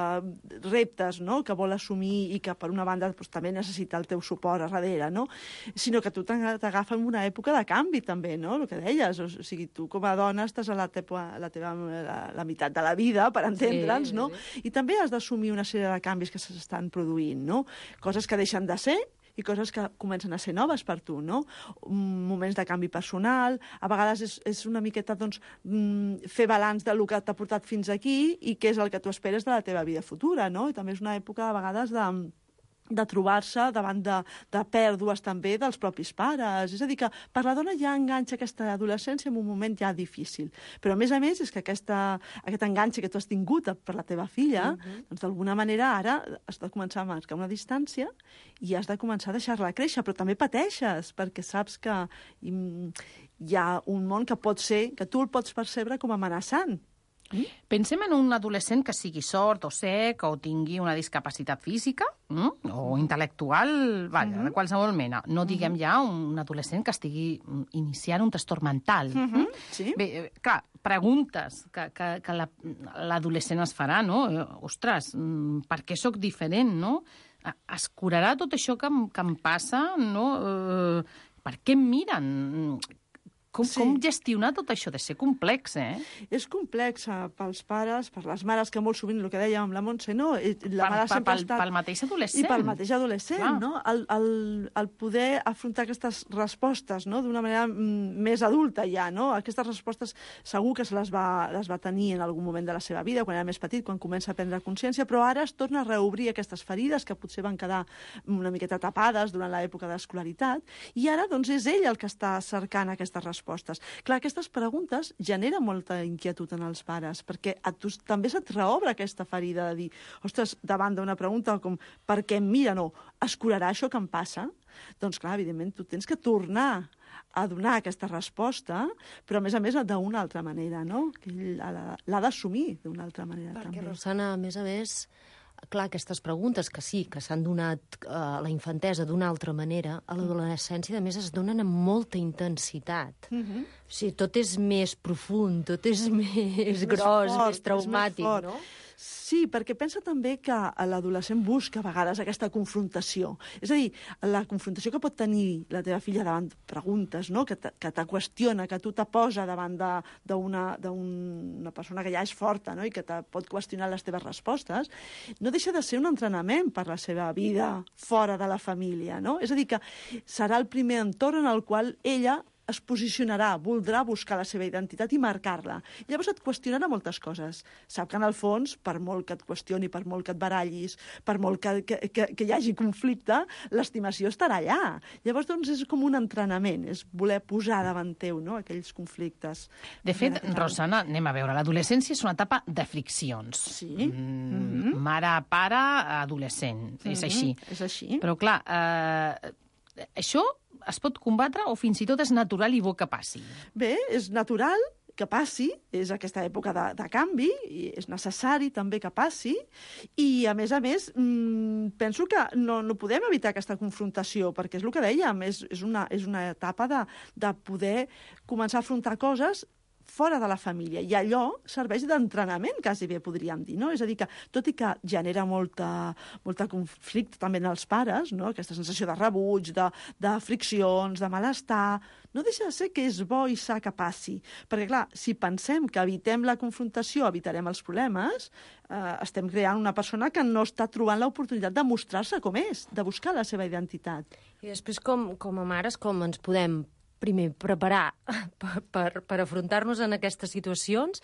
reptes, no?, que vol assumir i que, per una banda, doncs, també necessita el teu suport a darrere, no?, sinó que tu t'agafa en una època de canvi, també, no?, el que deies. O sigui, tu, com a dona, estàs a la teva, la, teva, la, la meitat de la vida, per entendre'ns, sí, no? Sí. I també has d'assumir una sèrie de canvis que s'estan produint, no? Coses que deixen de ser i coses que comencen a ser noves per tu, no? Moments de canvi personal, a vegades és, és una miqueta, doncs, fer balanç del que t'ha portat fins aquí i què és el que tu esperes de la teva vida futura, no? I també és una època, a vegades, de de trobar-se davant de, de pèrdues també dels propis pares. És a dir, que per la dona ja enganxa aquesta adolescència en un moment ja difícil. Però, a més a més, és que aquesta, aquest enganxe que tu has tingut per la teva filla, uh-huh. doncs d'alguna manera ara has de començar a marcar una distància i has de començar a deixar-la créixer, però també pateixes, perquè saps que hi ha un món que pot ser, que tu el pots percebre com amenaçant. Mm? Pensem en un adolescent que sigui sord o sec o tingui una discapacitat física mm? o intel·lectual, vaja, uh-huh. de qualsevol mena. No diguem uh-huh. ja un adolescent que estigui iniciant un trastorn mental. Uh-huh. Mm? Sí. Bé, clar, preguntes que, que, que la, l'adolescent es farà, no? Ostres, per què sóc diferent, no? Es curarà tot això que, que em passa, no? Uh, per què em miren? Com, sí. com gestionar tot això? De ser complex, eh? És complex eh, pels pares, per les mares, que molt sovint, el que dèiem amb la Montse, no? La mare sempre pel, ha estat... pel mateix adolescent. I pel mateix adolescent, Clar. no? El, el, el poder afrontar aquestes respostes, no?, d'una manera mm, més adulta ja, no? Aquestes respostes segur que se les va, les va tenir en algun moment de la seva vida, quan era més petit, quan comença a prendre consciència, però ara es torna a reobrir aquestes ferides que potser van quedar una miqueta tapades durant l'època d'escolaritat, i ara, doncs, és ell el que està cercant aquestes respostes. Clar, aquestes preguntes generen molta inquietud en els pares, perquè a tu també se't reobre aquesta ferida de dir, ostres, davant d'una pregunta com per què em miren o es curarà això que em passa? Doncs clar, evidentment, tu tens que tornar a donar aquesta resposta, però a més a més d'una altra manera, no? Que ell l'ha d'assumir d'una altra manera. Perquè, també. Rosana, a més a més, clar, aquestes preguntes que sí, que s'han donat a la infantesa d'una altra manera, a l'adolescència, a més, es donen amb molta intensitat. Uh-huh. O sigui, tot és més profund, tot és més, més gros, fort, més traumàtic, més no? Sí, perquè pensa també que l'adolescent busca a vegades aquesta confrontació. És a dir, la confrontació que pot tenir la teva filla davant de preguntes, no?, que te, que te qüestiona, que tu te posa davant d'una una persona que ja és forta, no?, i que te pot qüestionar les teves respostes, no deixa de ser un entrenament per la seva vida fora de la família, no? És a dir, que serà el primer entorn en el qual ella es posicionarà, voldrà buscar la seva identitat i marcar-la. Llavors et qüestionarà moltes coses. Sap que en el fons, per molt que et qüestioni, per molt que et barallis, per molt que, que, que, que hi hagi conflicte, l'estimació estarà allà. Llavors, doncs, és com un entrenament, és voler posar davant teu, no?, aquells conflictes. De fet, Rosana, anem a veure, l'adolescència és una etapa de friccions. Sí. Mm, mm-hmm. Mare, pare, adolescent. Mm-hmm. És així. És així. Però, clar, eh, això es pot combatre o fins i tot és natural i bo que passi? Bé, és natural que passi, és aquesta època de, de canvi, i és necessari també que passi, i a més a més mmm, penso que no, no podem evitar aquesta confrontació, perquè és el que dèiem, és, és, una, és una etapa de, de poder començar a afrontar coses fora de la família. I allò serveix d'entrenament, quasi bé podríem dir, no? És a dir, que tot i que genera molta, molta conflicte també en els pares, no? Aquesta sensació de rebuig, de, de friccions, de malestar, no deixa de ser que és bo i sa que passi. Perquè, clar, si pensem que evitem la confrontació, evitarem els problemes, eh, estem creant una persona que no està trobant l'oportunitat de mostrar-se com és, de buscar la seva identitat. I després, com, com a mares, com ens podem primer preparar per, per, per afrontar-nos en aquestes situacions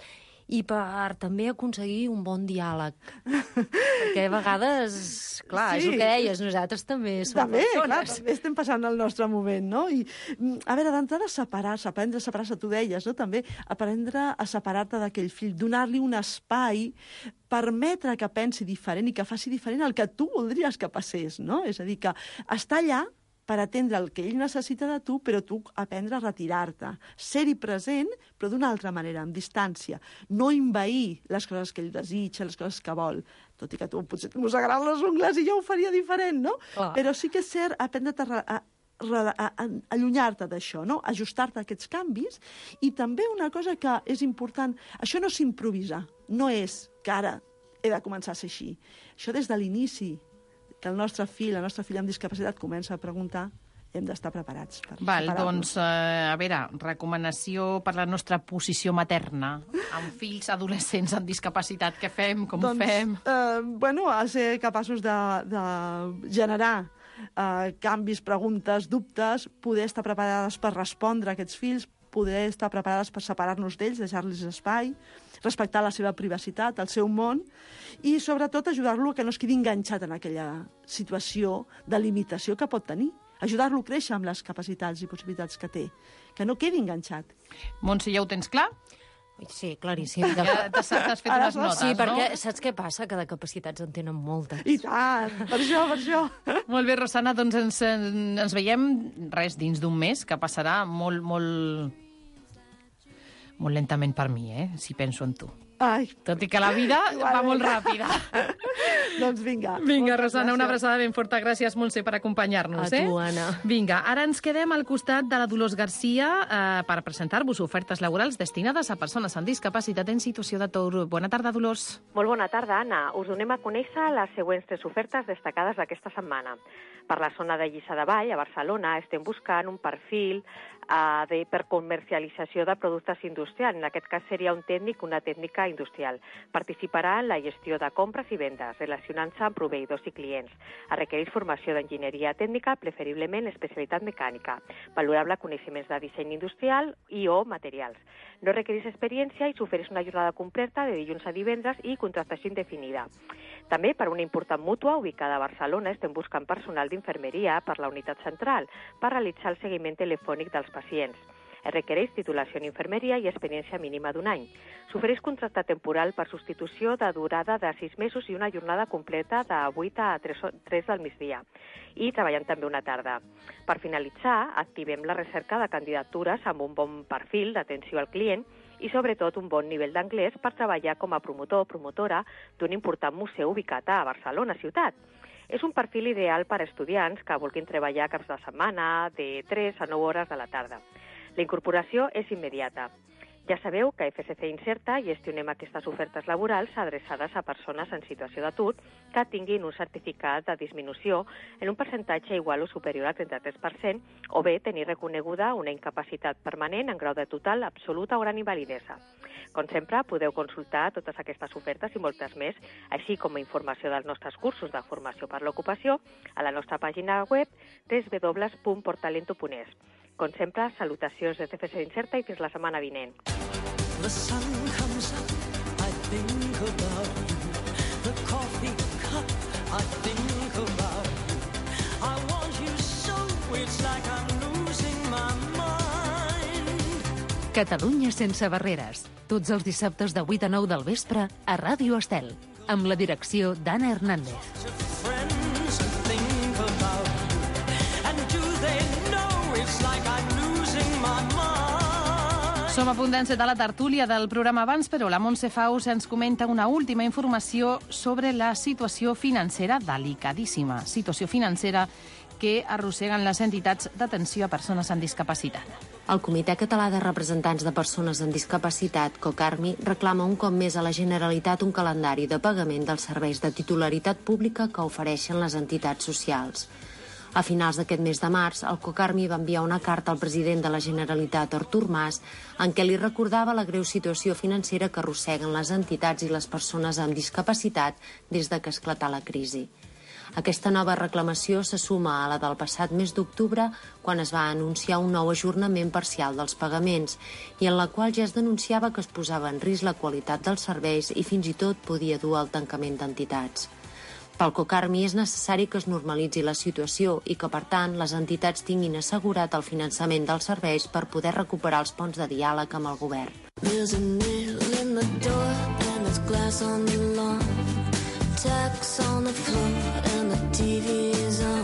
i per també aconseguir un bon diàleg. Perquè a vegades, clar, sí, és el que deies, nosaltres també som també, persones. Clar, també estem passant el nostre moment, no? I, a veure, d'entrada, separar-se, aprendre a separar-se, tu deies, no? També aprendre a separar-te d'aquell fill, donar-li un espai, permetre que pensi diferent i que faci diferent el que tu voldries que passés, no? És a dir, que està allà per atendre el que ell necessita de tu, però tu aprendre a retirar-te. Ser-hi present, però d'una altra manera, amb distància. No envair les coses que ell desitja, les coses que vol. Tot i que tu potser et mossegaràs les ungles i jo ho faria diferent, no? Oh. Però sí que és cert aprendre a, a, a, a allunyar-te d'això, no? Ajustar-te a aquests canvis. I també una cosa que és important, això no s'improvisa, no és que ara he de començar a ser així. Això des de l'inici, que el nostre fill, la nostra filla amb discapacitat comença a preguntar, hem d'estar preparats per Val, doncs, eh, a veure, recomanació per la nostra posició materna amb fills adolescents amb discapacitat. Què fem? Com doncs, ho fem? Eh, bueno, a ser capaços de, de generar eh, canvis, preguntes, dubtes, poder estar preparades per respondre a aquests fills, poder estar preparades per separar-nos d'ells, deixar-los espai, respectar la seva privacitat, el seu món, i sobretot ajudar-lo a que no es quedi enganxat en aquella situació de limitació que pot tenir. Ajudar-lo a créixer amb les capacitats i possibilitats que té, que no quedi enganxat. Montse, ja ho tens clar? Sí, claríssim. Ja t'has fet unes notes, sí, no? perquè saps què passa? Que de capacitats en tenen moltes. I tant, per això, per això. Molt bé, Rosana, doncs ens, ens veiem res dins d'un mes, que passarà molt, molt... molt lentament per mi, eh? Si penso en tu. Ai. Tot i que la vida va molt ràpida. Doncs vinga. Vinga, Rosana, una abraçada ben forta. Gràcies, Montse, per acompanyar-nos. A eh? tu, Anna. Vinga, ara ens quedem al costat de la Dolors Garcia eh, per presentar-vos ofertes laborals destinades a persones amb discapacitat en situació d'atur. Bona tarda, Dolors. Molt bona tarda, Anna. Us donem a conèixer les següents tres ofertes destacades d'aquesta setmana. Per la zona de Lliçà de Vall, a Barcelona, estem buscant un perfil uh, de, per comercialització de productes industrials. En aquest cas seria un tècnic, una tècnica industrial. Participarà en la gestió de compres i vendes, relacionant-se amb proveïdors i clients. Es requereix formació d'enginyeria tècnica, preferiblement especialitat mecànica, valorable coneixements de disseny industrial i o materials. No requereix experiència i s'ofereix una jornada completa de dilluns a divendres i contractació indefinida. També per una important mútua ubicada a Barcelona estem buscant personal d'infermeria per la unitat central per realitzar el seguiment telefònic dels pacients. Es requereix titulació en infermeria i experiència mínima d'un any. S'ofereix contracte temporal per substitució de durada de sis mesos i una jornada completa de vuit a tres del migdia. I treballant també una tarda. Per finalitzar, activem la recerca de candidatures amb un bon perfil d'atenció al client i sobretot un bon nivell d'anglès per treballar com a promotor o promotora d'un important museu ubicat a Barcelona ciutat. És un perfil ideal per a estudiants que vulguin treballar caps de setmana de tres a nou hores de la tarda. La incorporació és immediata. Ja sabeu que a F S C Inserta gestionem aquestes ofertes laborals adreçades a persones en situació d'atur que tinguin un certificat de disminució en un percentatge igual o superior al trenta-tres per cent o bé tenir reconeguda una incapacitat permanent en grau de total, absoluta o gran invalidesa. Com sempre, podeu consultar totes aquestes ofertes i moltes més, així com a informació dels nostres cursos de formació per l'ocupació a la nostra pàgina web w w w punt portalento punt es. Com sempre, salutacions des de F S C Inserta i fins la setmana vinent. The sun comes up, I think about you. The coffee cup, I think about you. I want you so, it's like I'm losing my mind. Catalunya sense barreres. Tots els dissabtes de vuit a nou del vespre a Ràdio Estel, amb la direcció d'Anna Hernández. Som a punt d'encetar la tertúlia del programa abans, però la Montse Faus ens comenta una última informació sobre la situació financera delicadíssima. Situació financera que arrosseguen les entitats d'atenció a persones amb discapacitat. El Comitè Català de Representants de Persones amb Discapacitat, COCARMI, reclama un cop més a la Generalitat un calendari de pagament dels serveis de titularitat pública que ofereixen les entitats socials. A finals d'aquest mes de març, el COCARMI va enviar una carta al president de la Generalitat, Artur Mas, en què li recordava la greu situació financera que arrosseguen les entitats i les persones amb discapacitat des de que esclatà la crisi. Aquesta nova reclamació se suma a la del passat mes d'octubre, quan es va anunciar un nou ajornament parcial dels pagaments i en la qual ja es denunciava que es posava en risc la qualitat dels serveis i fins i tot podia dur al tancament d'entitats. Pel COCARMI és necessari que es normalitzi la situació i que, per tant, les entitats tinguin assegurat el finançament dels serveis per poder recuperar els ponts de diàleg amb el govern. There's a nail in the door and there's glass on the lawn. Tacks on the floor and the T V is on.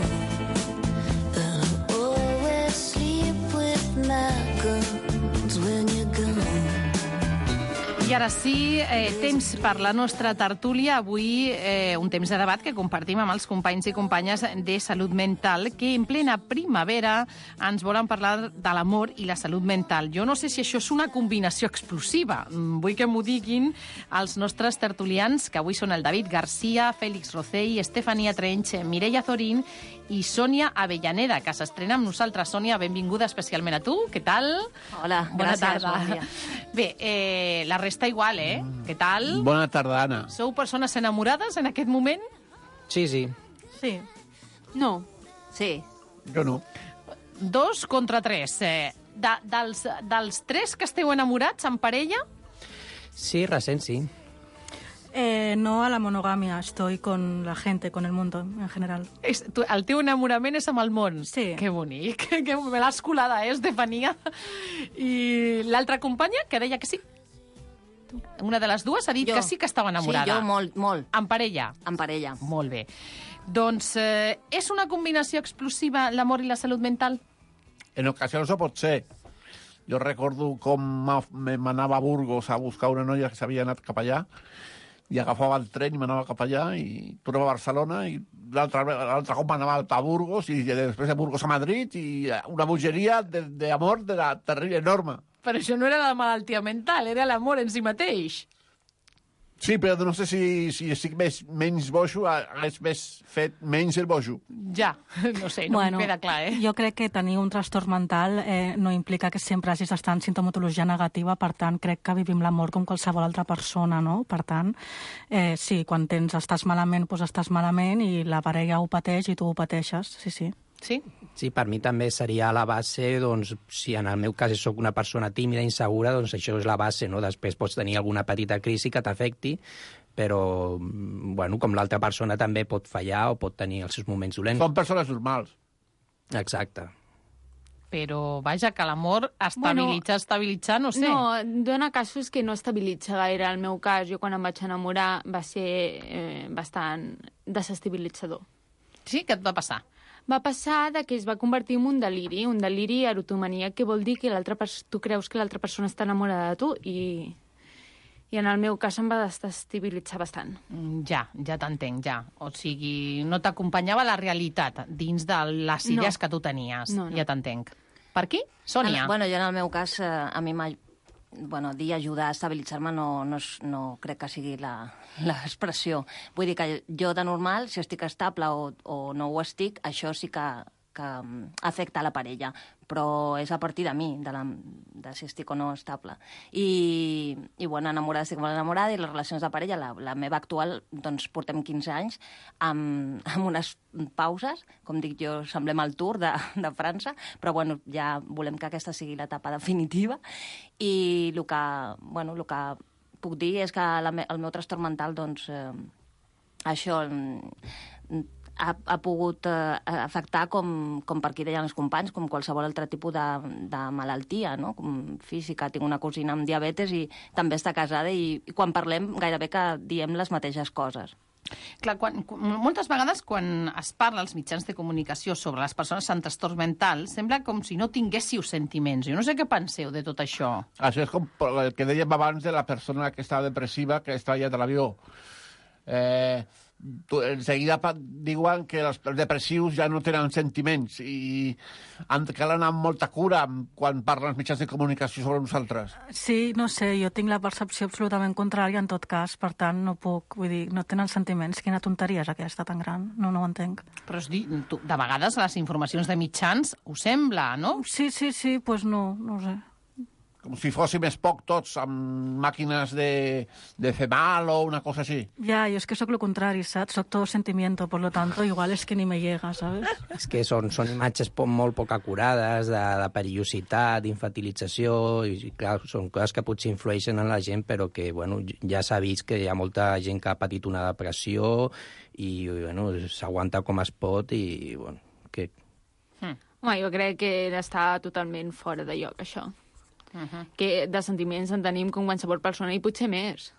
And I always sleep with my guns when you're gone. I ara sí, eh, temps per la nostra tertúlia. Avui eh, un temps de debat que compartim amb els companys i companyes de Salut Mental, que en plena primavera ens volen parlar de l'amor i la salut mental. Jo no sé si això és una combinació explosiva. Vull que m'ho diguin els nostres tertulians, que avui són el David Garcia, Fèlix Rocell, Estefania Trench, Mireia Zorín i Sònia Avellaneda, que s'estrena amb nosaltres. Sònia, benvinguda especialment a tu. Què tal? Hola, Bona gràcies, tarda. bon dia. Bé, eh, la resta igual, eh? Què tal? Bona tarda, Anna. Sou persones enamorades en aquest moment? Sí, sí. Sí. No. Sí. Jo no. Dos contra tres. Eh, de, dels, dels tres que esteu enamorats en parella? Sí, recent, sí. Eh, no a la monogamia, estoy con la gente, con el mundo en general. És, tu, el teu enamorament és amb el món? Sí. Que bonic, que me l'has colada, eh, Estefania? I l'altra companya, que deia que sí? Una de les dues ha dit Jo. que sí que estava enamorada. Sí, jo molt, molt. En parella? En parella. Molt bé. Doncs eh, és una combinació explosiva l'amor i la salut mental? En ocasions ho pot ser. Jo recordo com m'af- me- m'anava a Burgos a buscar una noia que s'havia anat cap allà i agafava el tren i m'anava cap allà i tornava a Barcelona i l'altre l'altre cop m'anava a Burgos i després de Burgos a Madrid i una bogeria d'amor de, de la terrible enorme. Però això no era la malaltia mental, era l'amor en si mateix. Sí, però no sé si, si estic més, menys bojo, hagués més fet menys el bojo. Ja, no sé, no bueno, em queda clar, eh? Jo crec que tenir un trastorn mental eh, no implica que sempre hagis d'estar en sintomatologia negativa, per tant, crec que vivim l'amor com qualsevol altra persona, no? Per tant, eh, sí, quan tens, estàs malament, doncs estàs malament i la parella ho pateix i tu ho pateixes, sí, sí. Sí? Sí, per mi també seria la base, doncs, si en el meu cas sóc una persona tímida, insegura, doncs això és la base, no? Després pots tenir alguna petita crisi que t'afecti, però, bueno, com l'altra persona també pot fallar o pot tenir els seus moments dolents. Són persones normals. Exacte. Però, vaja, que l'amor estabilitza, bueno, estabilitza, no sé. No, dona casos que no estabilitza gaire. El meu cas, jo quan em vaig enamorar, va ser eh, bastant desestabilitzador. Sí? Què et va passar? Va passar de que es va convertir en un deliri, un deliri erotomania, que vol dir que l'altra pers- tu creus que l'altra persona està enamorada de tu i, i en el meu cas em va desestabilitzar bastant. Mm, Ja, ja t'entenc, ja. O sigui, no t'acompanyava la realitat dins de les idees No. que tu tenies. No, no. Ja t'entenc. Per aquí? Sònia. En, bueno, jo en el meu cas, eh, a mi m'ha... Bueno, dir ajudar a estabilitzar-me no, no, és- no crec que sigui la- l'expressió. Vull dir que jo de normal, si estic estable o, o no ho estic, això sí que, que mm, afecta la parella, però és a partir de mi, de, la, de si estic o no estable. I, i bueno, enamorada estic molt enamorada i les relacions de parella, la, la meva actual, doncs portem quinze anys amb, amb unes pauses, com dic jo, semblem el Tour de, de França, però bueno, ja volem que aquesta sigui l'etapa definitiva i el que, bueno, el que puc dir és que la, me- el meu trastorn mental, doncs, eh, això mm, ha, ha pogut eh, afectar, com, com per aquí deien els companys, com qualsevol altre tipus de, de malaltia, no? Com física. Tinc una cosina amb diabetes i també està casada i, i quan parlem gairebé que diem les mateixes coses. Clar, quan, moltes vegades quan es parla als mitjans de comunicació sobre les persones amb trastorns mentals, sembla com si no tinguéssiu sentiments. Jo no sé què penseu de tot això. Això és com el que dèiem abans de la persona que estava depressiva, que estava allà de l'avió. Eh, tu, en seguida diuen que els depressius ja no tenen sentiments i han, cal anar amb molta cura quan parlen els mitjans de comunicació sobre nosaltres. Sí, no sé, jo tinc la percepció absolutament contrària en tot cas, per tant no puc, vull dir, no tenen sentiments. Quina tonteria és aquesta tan gran? No, no ho entenc. Però és dir, tu, de vegades les informacions de mitjans ho sembla, no? Sí, sí, sí, doncs pues no, no ho sé. Com si fóssim poc tots amb màquines de, de fer mal o una cosa així. Ja, jo és que sóc lo contrari, saps? Soc todo sentimiento, por lo tanto, igual és que ni me llega, ¿sabes? És que són, són imatges po molt poc acurades, de, de perillositat, d'infantilització, i clar, són coses que potser influeixen en la gent, però que, bueno, ja s'ha vist que hi ha molta gent que ha patit una depressió i, bueno, s'aguanta com es pot i, bueno, que... Hmm. Home, jo crec que està totalment fora de lloc, això. Uh -huh. Que de sentiments en tenim com qualsevol persona i potser més.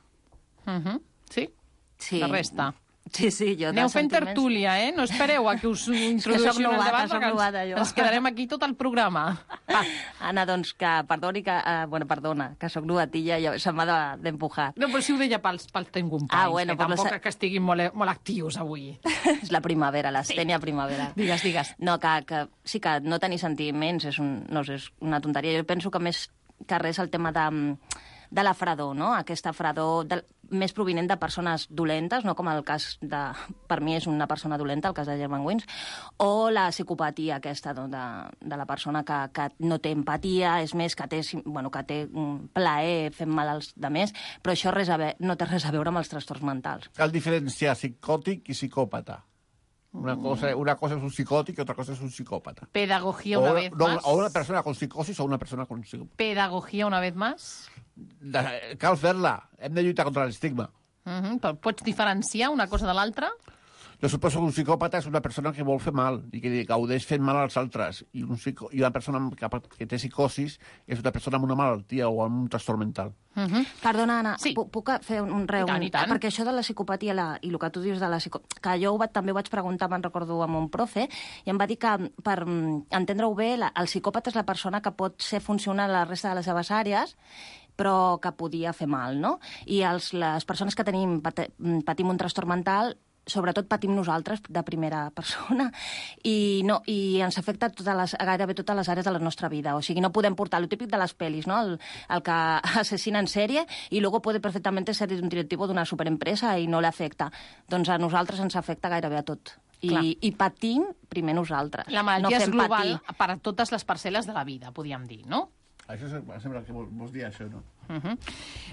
Uh -huh. Sí? Sí. La resta. Sí, sí, jo Aneu de fent sentiments... tertúlia, eh? No espereu a que us introdueixin novata, el debat, soc perquè novata, ens, jo. ens quedarem aquí tot el programa. Ah. Anna, doncs que perdoni que... Uh, bueno, perdona, que sóc novatilla i se m'ha d'empujar. No, però si ho deia pels, pels teus companys, Ah, bueno, que per tampoc la... que estiguin molt, molt actius avui. És la primavera, l'estènia sí. primavera. Digues, digues. No, que, que sí que no tenir sentiments és, un, no sé, és una tonteria. Jo penso que més que res el tema de, de la fredor, no? Aquesta fredor de, més provinent de persones dolentes, no com el cas de... Per mi és una persona dolenta, el cas de Germanwings, o la psicopatia aquesta no? de, de la persona que, que no té empatia, és més, que té, bueno, que té un plaer fent mal als demés, però això res a ve, no té res a veure amb els trastorns mentals. Cal diferenciar psicòtic i psicòpata. Una cosa, una cosa es un psicòtic i otra cosa es un psicòpata. Pedagogía una o, vez no, más. O una persona con psicosis o una persona con psicòpata. Pedagogía una vez más. De, cal fer-la. Hem de lluitar contra l'estigma. Uh -huh. Però pots diferenciar una cosa de l'altra? Jo suposo que un psicòpata és una persona que vol fer mal i que gaudeix fent mal als altres. I, un psico, i una persona que, que té psicosis és una persona amb una malaltia o amb un trastorn mental. Uh -huh. Perdona, Anna, sí. puc fer un, un reu? I tant, i tant. Perquè això de la psicopatia la, i el que tu dius de la psicopatia... Que jo ho vaig, també ho vaig preguntar, me'n recordo, amb un profe, i em va dir que, per entendre-ho bé, la, el psicòpata és la persona que pot ser funcional a la resta de les seves àrees, però que podia fer mal, no? I els, les persones que tenim, patim un trastorn mental, sobretot patim nosaltres de primera persona i, no, i ens afecta totes les, gairebé totes les àrees de la nostra vida. O sigui, no podem portar el típic de les pel·lis, no? El, el que assassina en sèrie i luego puede perfectamente ser un directivo d'una superempresa i no l'afecta. Doncs a nosaltres ens afecta gairebé a tot. I, i patim primer nosaltres. La malaltia no és global patir. per a totes les parcel·les de la vida, podríem dir, no? Això sembla que vols dir això, no? Uh -huh.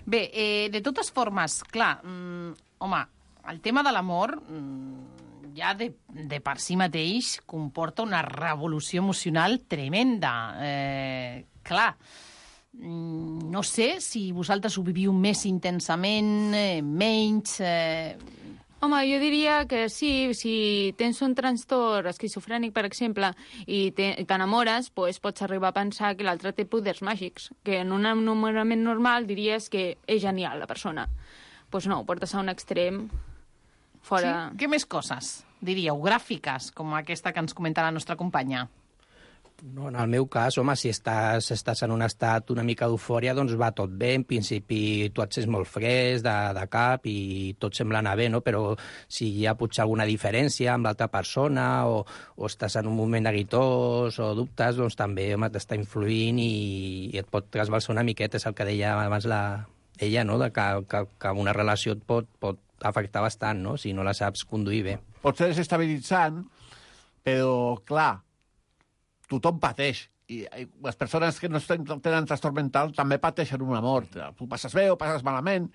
Bé, eh, de totes formes, clar, mm, home, el tema de l'amor mm, ja de, de per si mateix comporta una revolució emocional tremenda. Eh, clar, mm, no sé si vosaltres ho viviu més intensament, eh, menys... Eh... Home, jo diria que sí, si tens un trastorn esquizofrènic, per exemple, i t'enamores, pues, pots arribar a pensar que l'altre té poders màgics, que en un enamorament normal diries que és genial la persona. Doncs pues no, ho portes a un extrem fora... Sí? Què més coses, diríeu, gràfiques, com aquesta que ens comenta la nostra companya? No, en el meu cas, home, si estàs, estàs en un estat una mica d'eufòria, doncs va tot bé. En principi tu et sents molt fresc de, de cap i tot sembla anar bé, no? Però si hi ha potser alguna diferència amb l'altra persona o, o estàs en un moment neguitós o dubtes, doncs també, home, t'està influint i, i et pot trasbalsar una miqueta. És el que deia abans la, ella, no? De que, que, que una relació et pot, pot afectar bastant, no? Si no la saps conduir bé. Pot ser desestabilitzant, però, clar, tothom pateix. I, I les persones que no tenen trastorn mental també pateixen una mort. Tu passes bé o passes malament.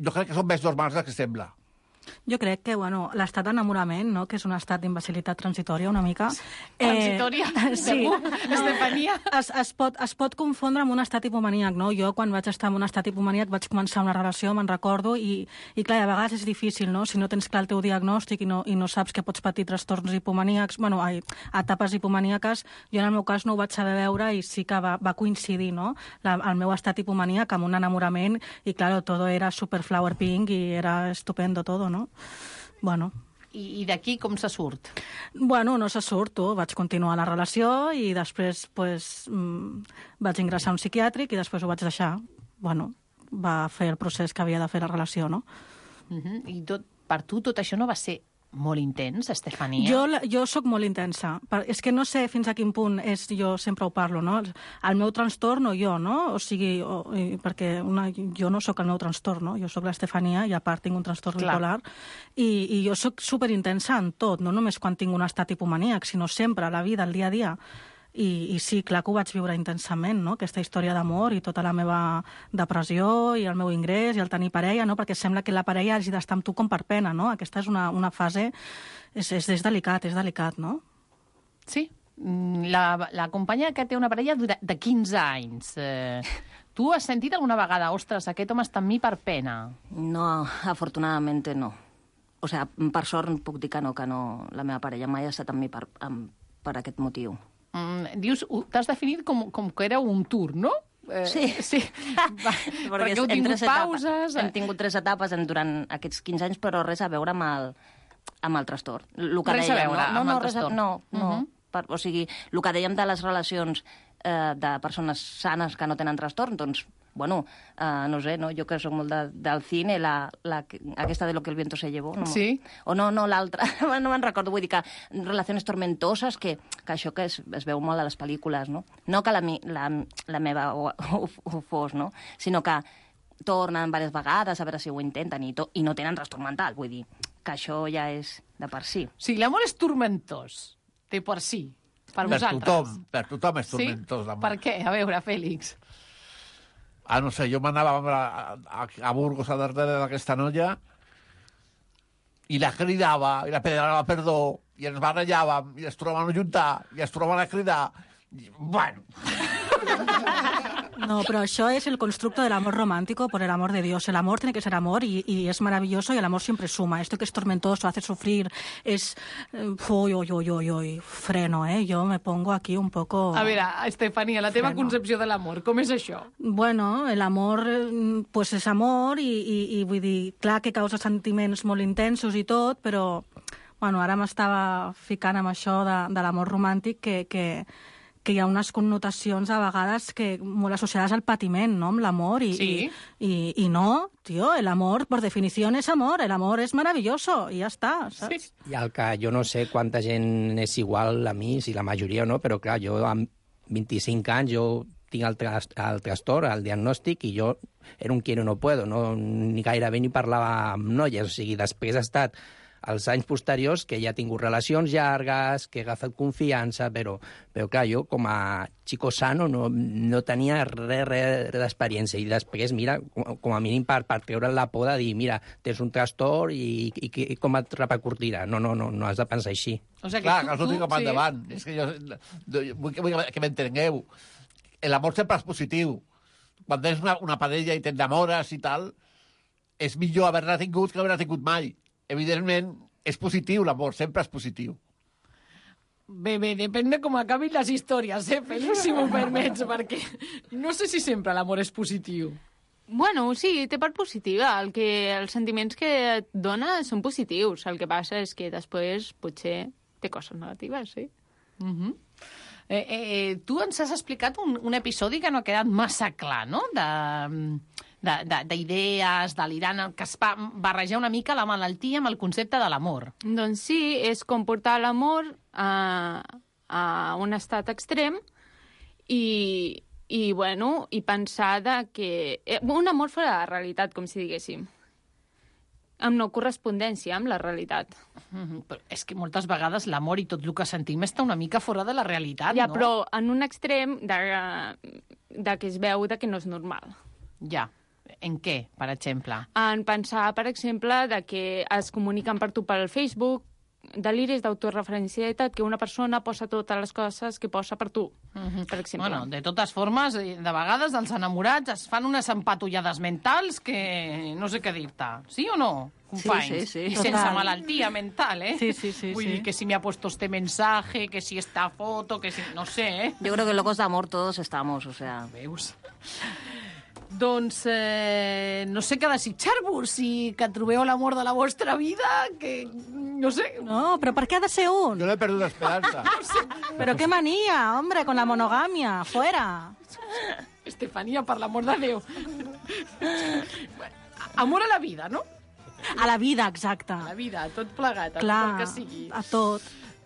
Jo crec que són més normals del que sembla. Jo crec que, bueno, l'estat d'enamorament, no?, que és un estat d'imbecilitat transitòria una mica... Transitòria? Eh, sí. Estefania? Es, es, pot, es pot confondre amb un estat hipomaníac, no? Jo, quan vaig estar en un estat hipomaníac, vaig començar una relació, me'n recordo, i, i clar, a vegades és difícil, no?, si no tens clar el teu diagnòstic i no, i no saps que pots patir trastorns hipomaníacs, bueno, ai, etapes hipomaníaques, jo en el meu cas no ho vaig saber veure i sí que va, va coincidir, no?, la, el meu estat hipomaníac amb un enamorament i, claro, todo era super flower pink i era estupendo todo, no? no? Bueno... I, i d'aquí com se surt? Bueno, no se surt, tu. Vaig continuar la relació i després pues, mm, vaig ingressar a un psiquiàtric i després ho vaig deixar. Bueno, va fer el procés que havia de fer la relació, no? Uh-huh. I tot, per tu tot això no va ser molt intens, Estefania? Jo, jo sóc molt intensa. És que no sé fins a quin punt és, jo sempre ho parlo, no? El meu trastorn o jo, no? O sigui, o, perquè una, jo no sóc el meu trastorn, no? Jo sóc l'Estefania i a part tinc un trastorn Clar. bipolar i, i jo sóc superintensa en tot, no només quan tinc un estat hipomaníac, sinó sempre, a la vida, al dia a dia. I, I sí, clar que ho vaig viure intensament, no? Aquesta història d'amor i tota la meva depressió i el meu ingrés i el tenir parella, no? Perquè sembla que la parella hagi d'estar amb tu com per pena, no? Aquesta és una, una fase... És, és, és delicat, és delicat, no? Sí. La, la companya que té una parella de quinze anys. Eh, tu has sentit alguna vegada, ostres, aquest home està amb mi per pena? No, afortunadamente no. O sea, per sort puc dir que no, que no, la meva parella mai ha estat amb mi per, amb, per aquest motiu. Mm, dius, t'has definit com, com que era un tour, no? Eh, sí. sí. Va, perquè heu tingut pauses... Hem tingut tres etapes en, durant aquests quinze anys, però res a veure amb el, amb el trastorn. Lo que res dèiem, a veure no, amb no, el res a, trastorn. no, no. Uh -huh. per, o sigui, el que dèiem de les relacions eh, de persones sanes que no tenen trastorn, doncs, bueno, eh, no sé, no? Jo que soc molt de, del cine, la, la, aquesta de Lo que el viento se llevó. No? Sí. O no, no, l'altra, no me'n recordo, vull dir que relacions tormentoses, que, que això que es, es veu molt a les pel·lícules, no? No que la, la, la meva ho, ho, ho fos, no? Sinó que tornen diverses vegades a veure si ho intenten i, to, i no tenen trastorn mental, vull dir que això ja és de per si. Sí, l'amor és tormentós, de per si, per, per vosaltres. Tothom, per tothom és tormentós, sí? l'amor. Per què? A veure, Fèlix. Ah, no sé, jo m'anava a, a, a Burgos a darrere d'aquesta noia i la cridava, i la pedrava perdó, i ens barrejàvem, i es trobaven a juntar, i es trobaven a cridar. I, bueno... No, pero eso es el constructo del amor romántico por el amor de Dios. El amor tiene que ser amor y, y es maravilloso y el amor siempre suma. Esto que es tormentoso, hace sufrir, es... Uy, uy, uy, uy, uy, freno, ¿eh? Yo me pongo aquí un poco... A veure, Estefania, la teva freno. Concepció de l'amor, com és això? Bueno, el amor, pues és amor i, i, i vull dir, clar que causa sentiments molt intensos i tot, però, bueno, ara m'estava ficant amb això de, de l'amor romàntic que... que que hi ha unes connotacions a vegades que molt associades al patiment, no?, amb l'amor. I, sí. I, i, I no, tio, el amor, por definició, és amor. El amor és maravilloso i ja està, saps? Sí. I el que jo no sé quanta gent és igual a mi, si la majoria o no, però clar, jo amb vint-i-cinc anys, jo tinc el, tras, el trastorn, el diagnòstic, i jo era un quiero no puedo, no, ni gairebé ni parlava amb noies, o sigui, després ha estat els anys posteriors que ja he tingut relacions llargues, que he agafat confiança, però, però clar, jo com a chico sano no, no tenia res, res d'experiència. I després, mira, com, com a mínim per, per treure la por de dir, mira, tens un trastorn i, i, i com et repercutirà. No, no, no, no has de pensar així. O sigui, clar, tu, que els ho dic cap sí. endavant. És que jo, vull, vull que m'entengueu. L'amor sempre és positiu. Quan tens una, una parella i t'enamores i tal, és millor haver-la tingut que haver-la tingut mai. Evidentment, és positiu l'amor, sempre és positiu. Bé, bé, depèn de com acabin les històries, eh, Fèlix, si m'ho permets, perquè no sé si sempre l'amor és positiu. Bueno, sí, té part positiva. El que, els sentiments que et dona són positius. El que passa és que després potser té coses negatives, sí. Uh -huh. eh, eh, tu ens has explicat un, un episodi que no ha quedat massa clar, no?, de... d'idees, delirant, que es va barrejar una mica la malaltia amb el concepte de l'amor. Doncs sí, és com portar l'amor a, a un estat extrem i, i, bueno, i pensar de que... Un amor fora de la realitat, com si diguéssim. Amb no correspondència amb la realitat. Mm-hmm. Però és que moltes vegades l'amor i tot el que sentim està una mica fora de la realitat, ja, no? Ja, però en un extrem de, de que es veu de que no és normal. Ja. En què, per exemple? En pensar, per exemple, de que es comuniquen per tu pel Facebook, deliris d'autoreferencialitat, que una persona posa totes les coses que posa per tu, mm-hmm. per exemple. Bueno, de totes formes, de vegades els enamorats es fan unes empatollades mentals que no sé què dir-te. Sí o no, companys? Sí, sí, sí. I sense Total. Malaltia mental, eh? Sí, sí, sí. Vull sí. dir que si me ha puesto este mensaje, que si esta foto, que si... No sé, eh? Yo creo que locos de amor todos estamos, o sea... Veus? Doncs eh, no sé què desitjar-vos, si que trobeu l'amor de la vostra vida, que no sé. No, però per què ha de ser un? Yo no he perdido la esperanza. No sé. Però qué manía, hombre, con la monogamia, fuera. Estefanía, per l'amor de Déu. Amor a la vida, no? A la vida, exacte. A la vida, tot plegat, a Clar, tot el que sigui. a tot.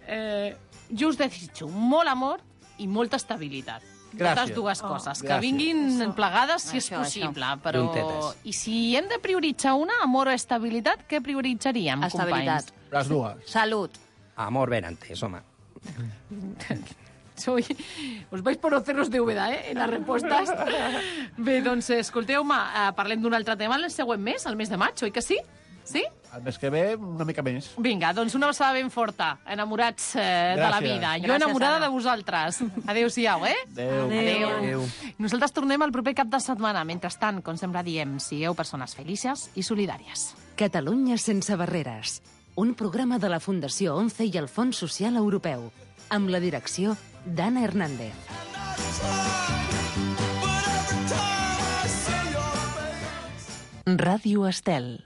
Eh, jo us desitjo molt amor i molta estabilitat. Gràcies. Totes dues coses. Oh, que gràcies. vinguin plegades, si és Això, possible. això. Però... Juntetes. I si hem de prioritzar una, amor o estabilitat, què prioritzaríem, Estabilitat. companys? Las dues. Salut. Amor ben antes, home. Soy... Us vais por los cerros de Úbeda, eh, en les respostes. Bé, doncs, escolteu-me, eh, parlem d'un altre tema el següent mes, el mes de maig, oi que sí? Sí? El mes que ve, una mica més. Vinga, doncs una abraçada ben forta. Enamorats eh, de la Gràcies. vida. Jo Gràcies, enamorada Anna. de vosaltres. Adéu-siau, eh? Adéu. Adéu. Adéu. Nosaltres tornem el proper cap de setmana. Mentrestant, com sempre diem, sigueu persones felices i solidàries. Catalunya sense barreres. Un programa de la Fundació ONCE i el Fons Social Europeu. Amb la direcció d'Anna Hernández. Ràdio Estel.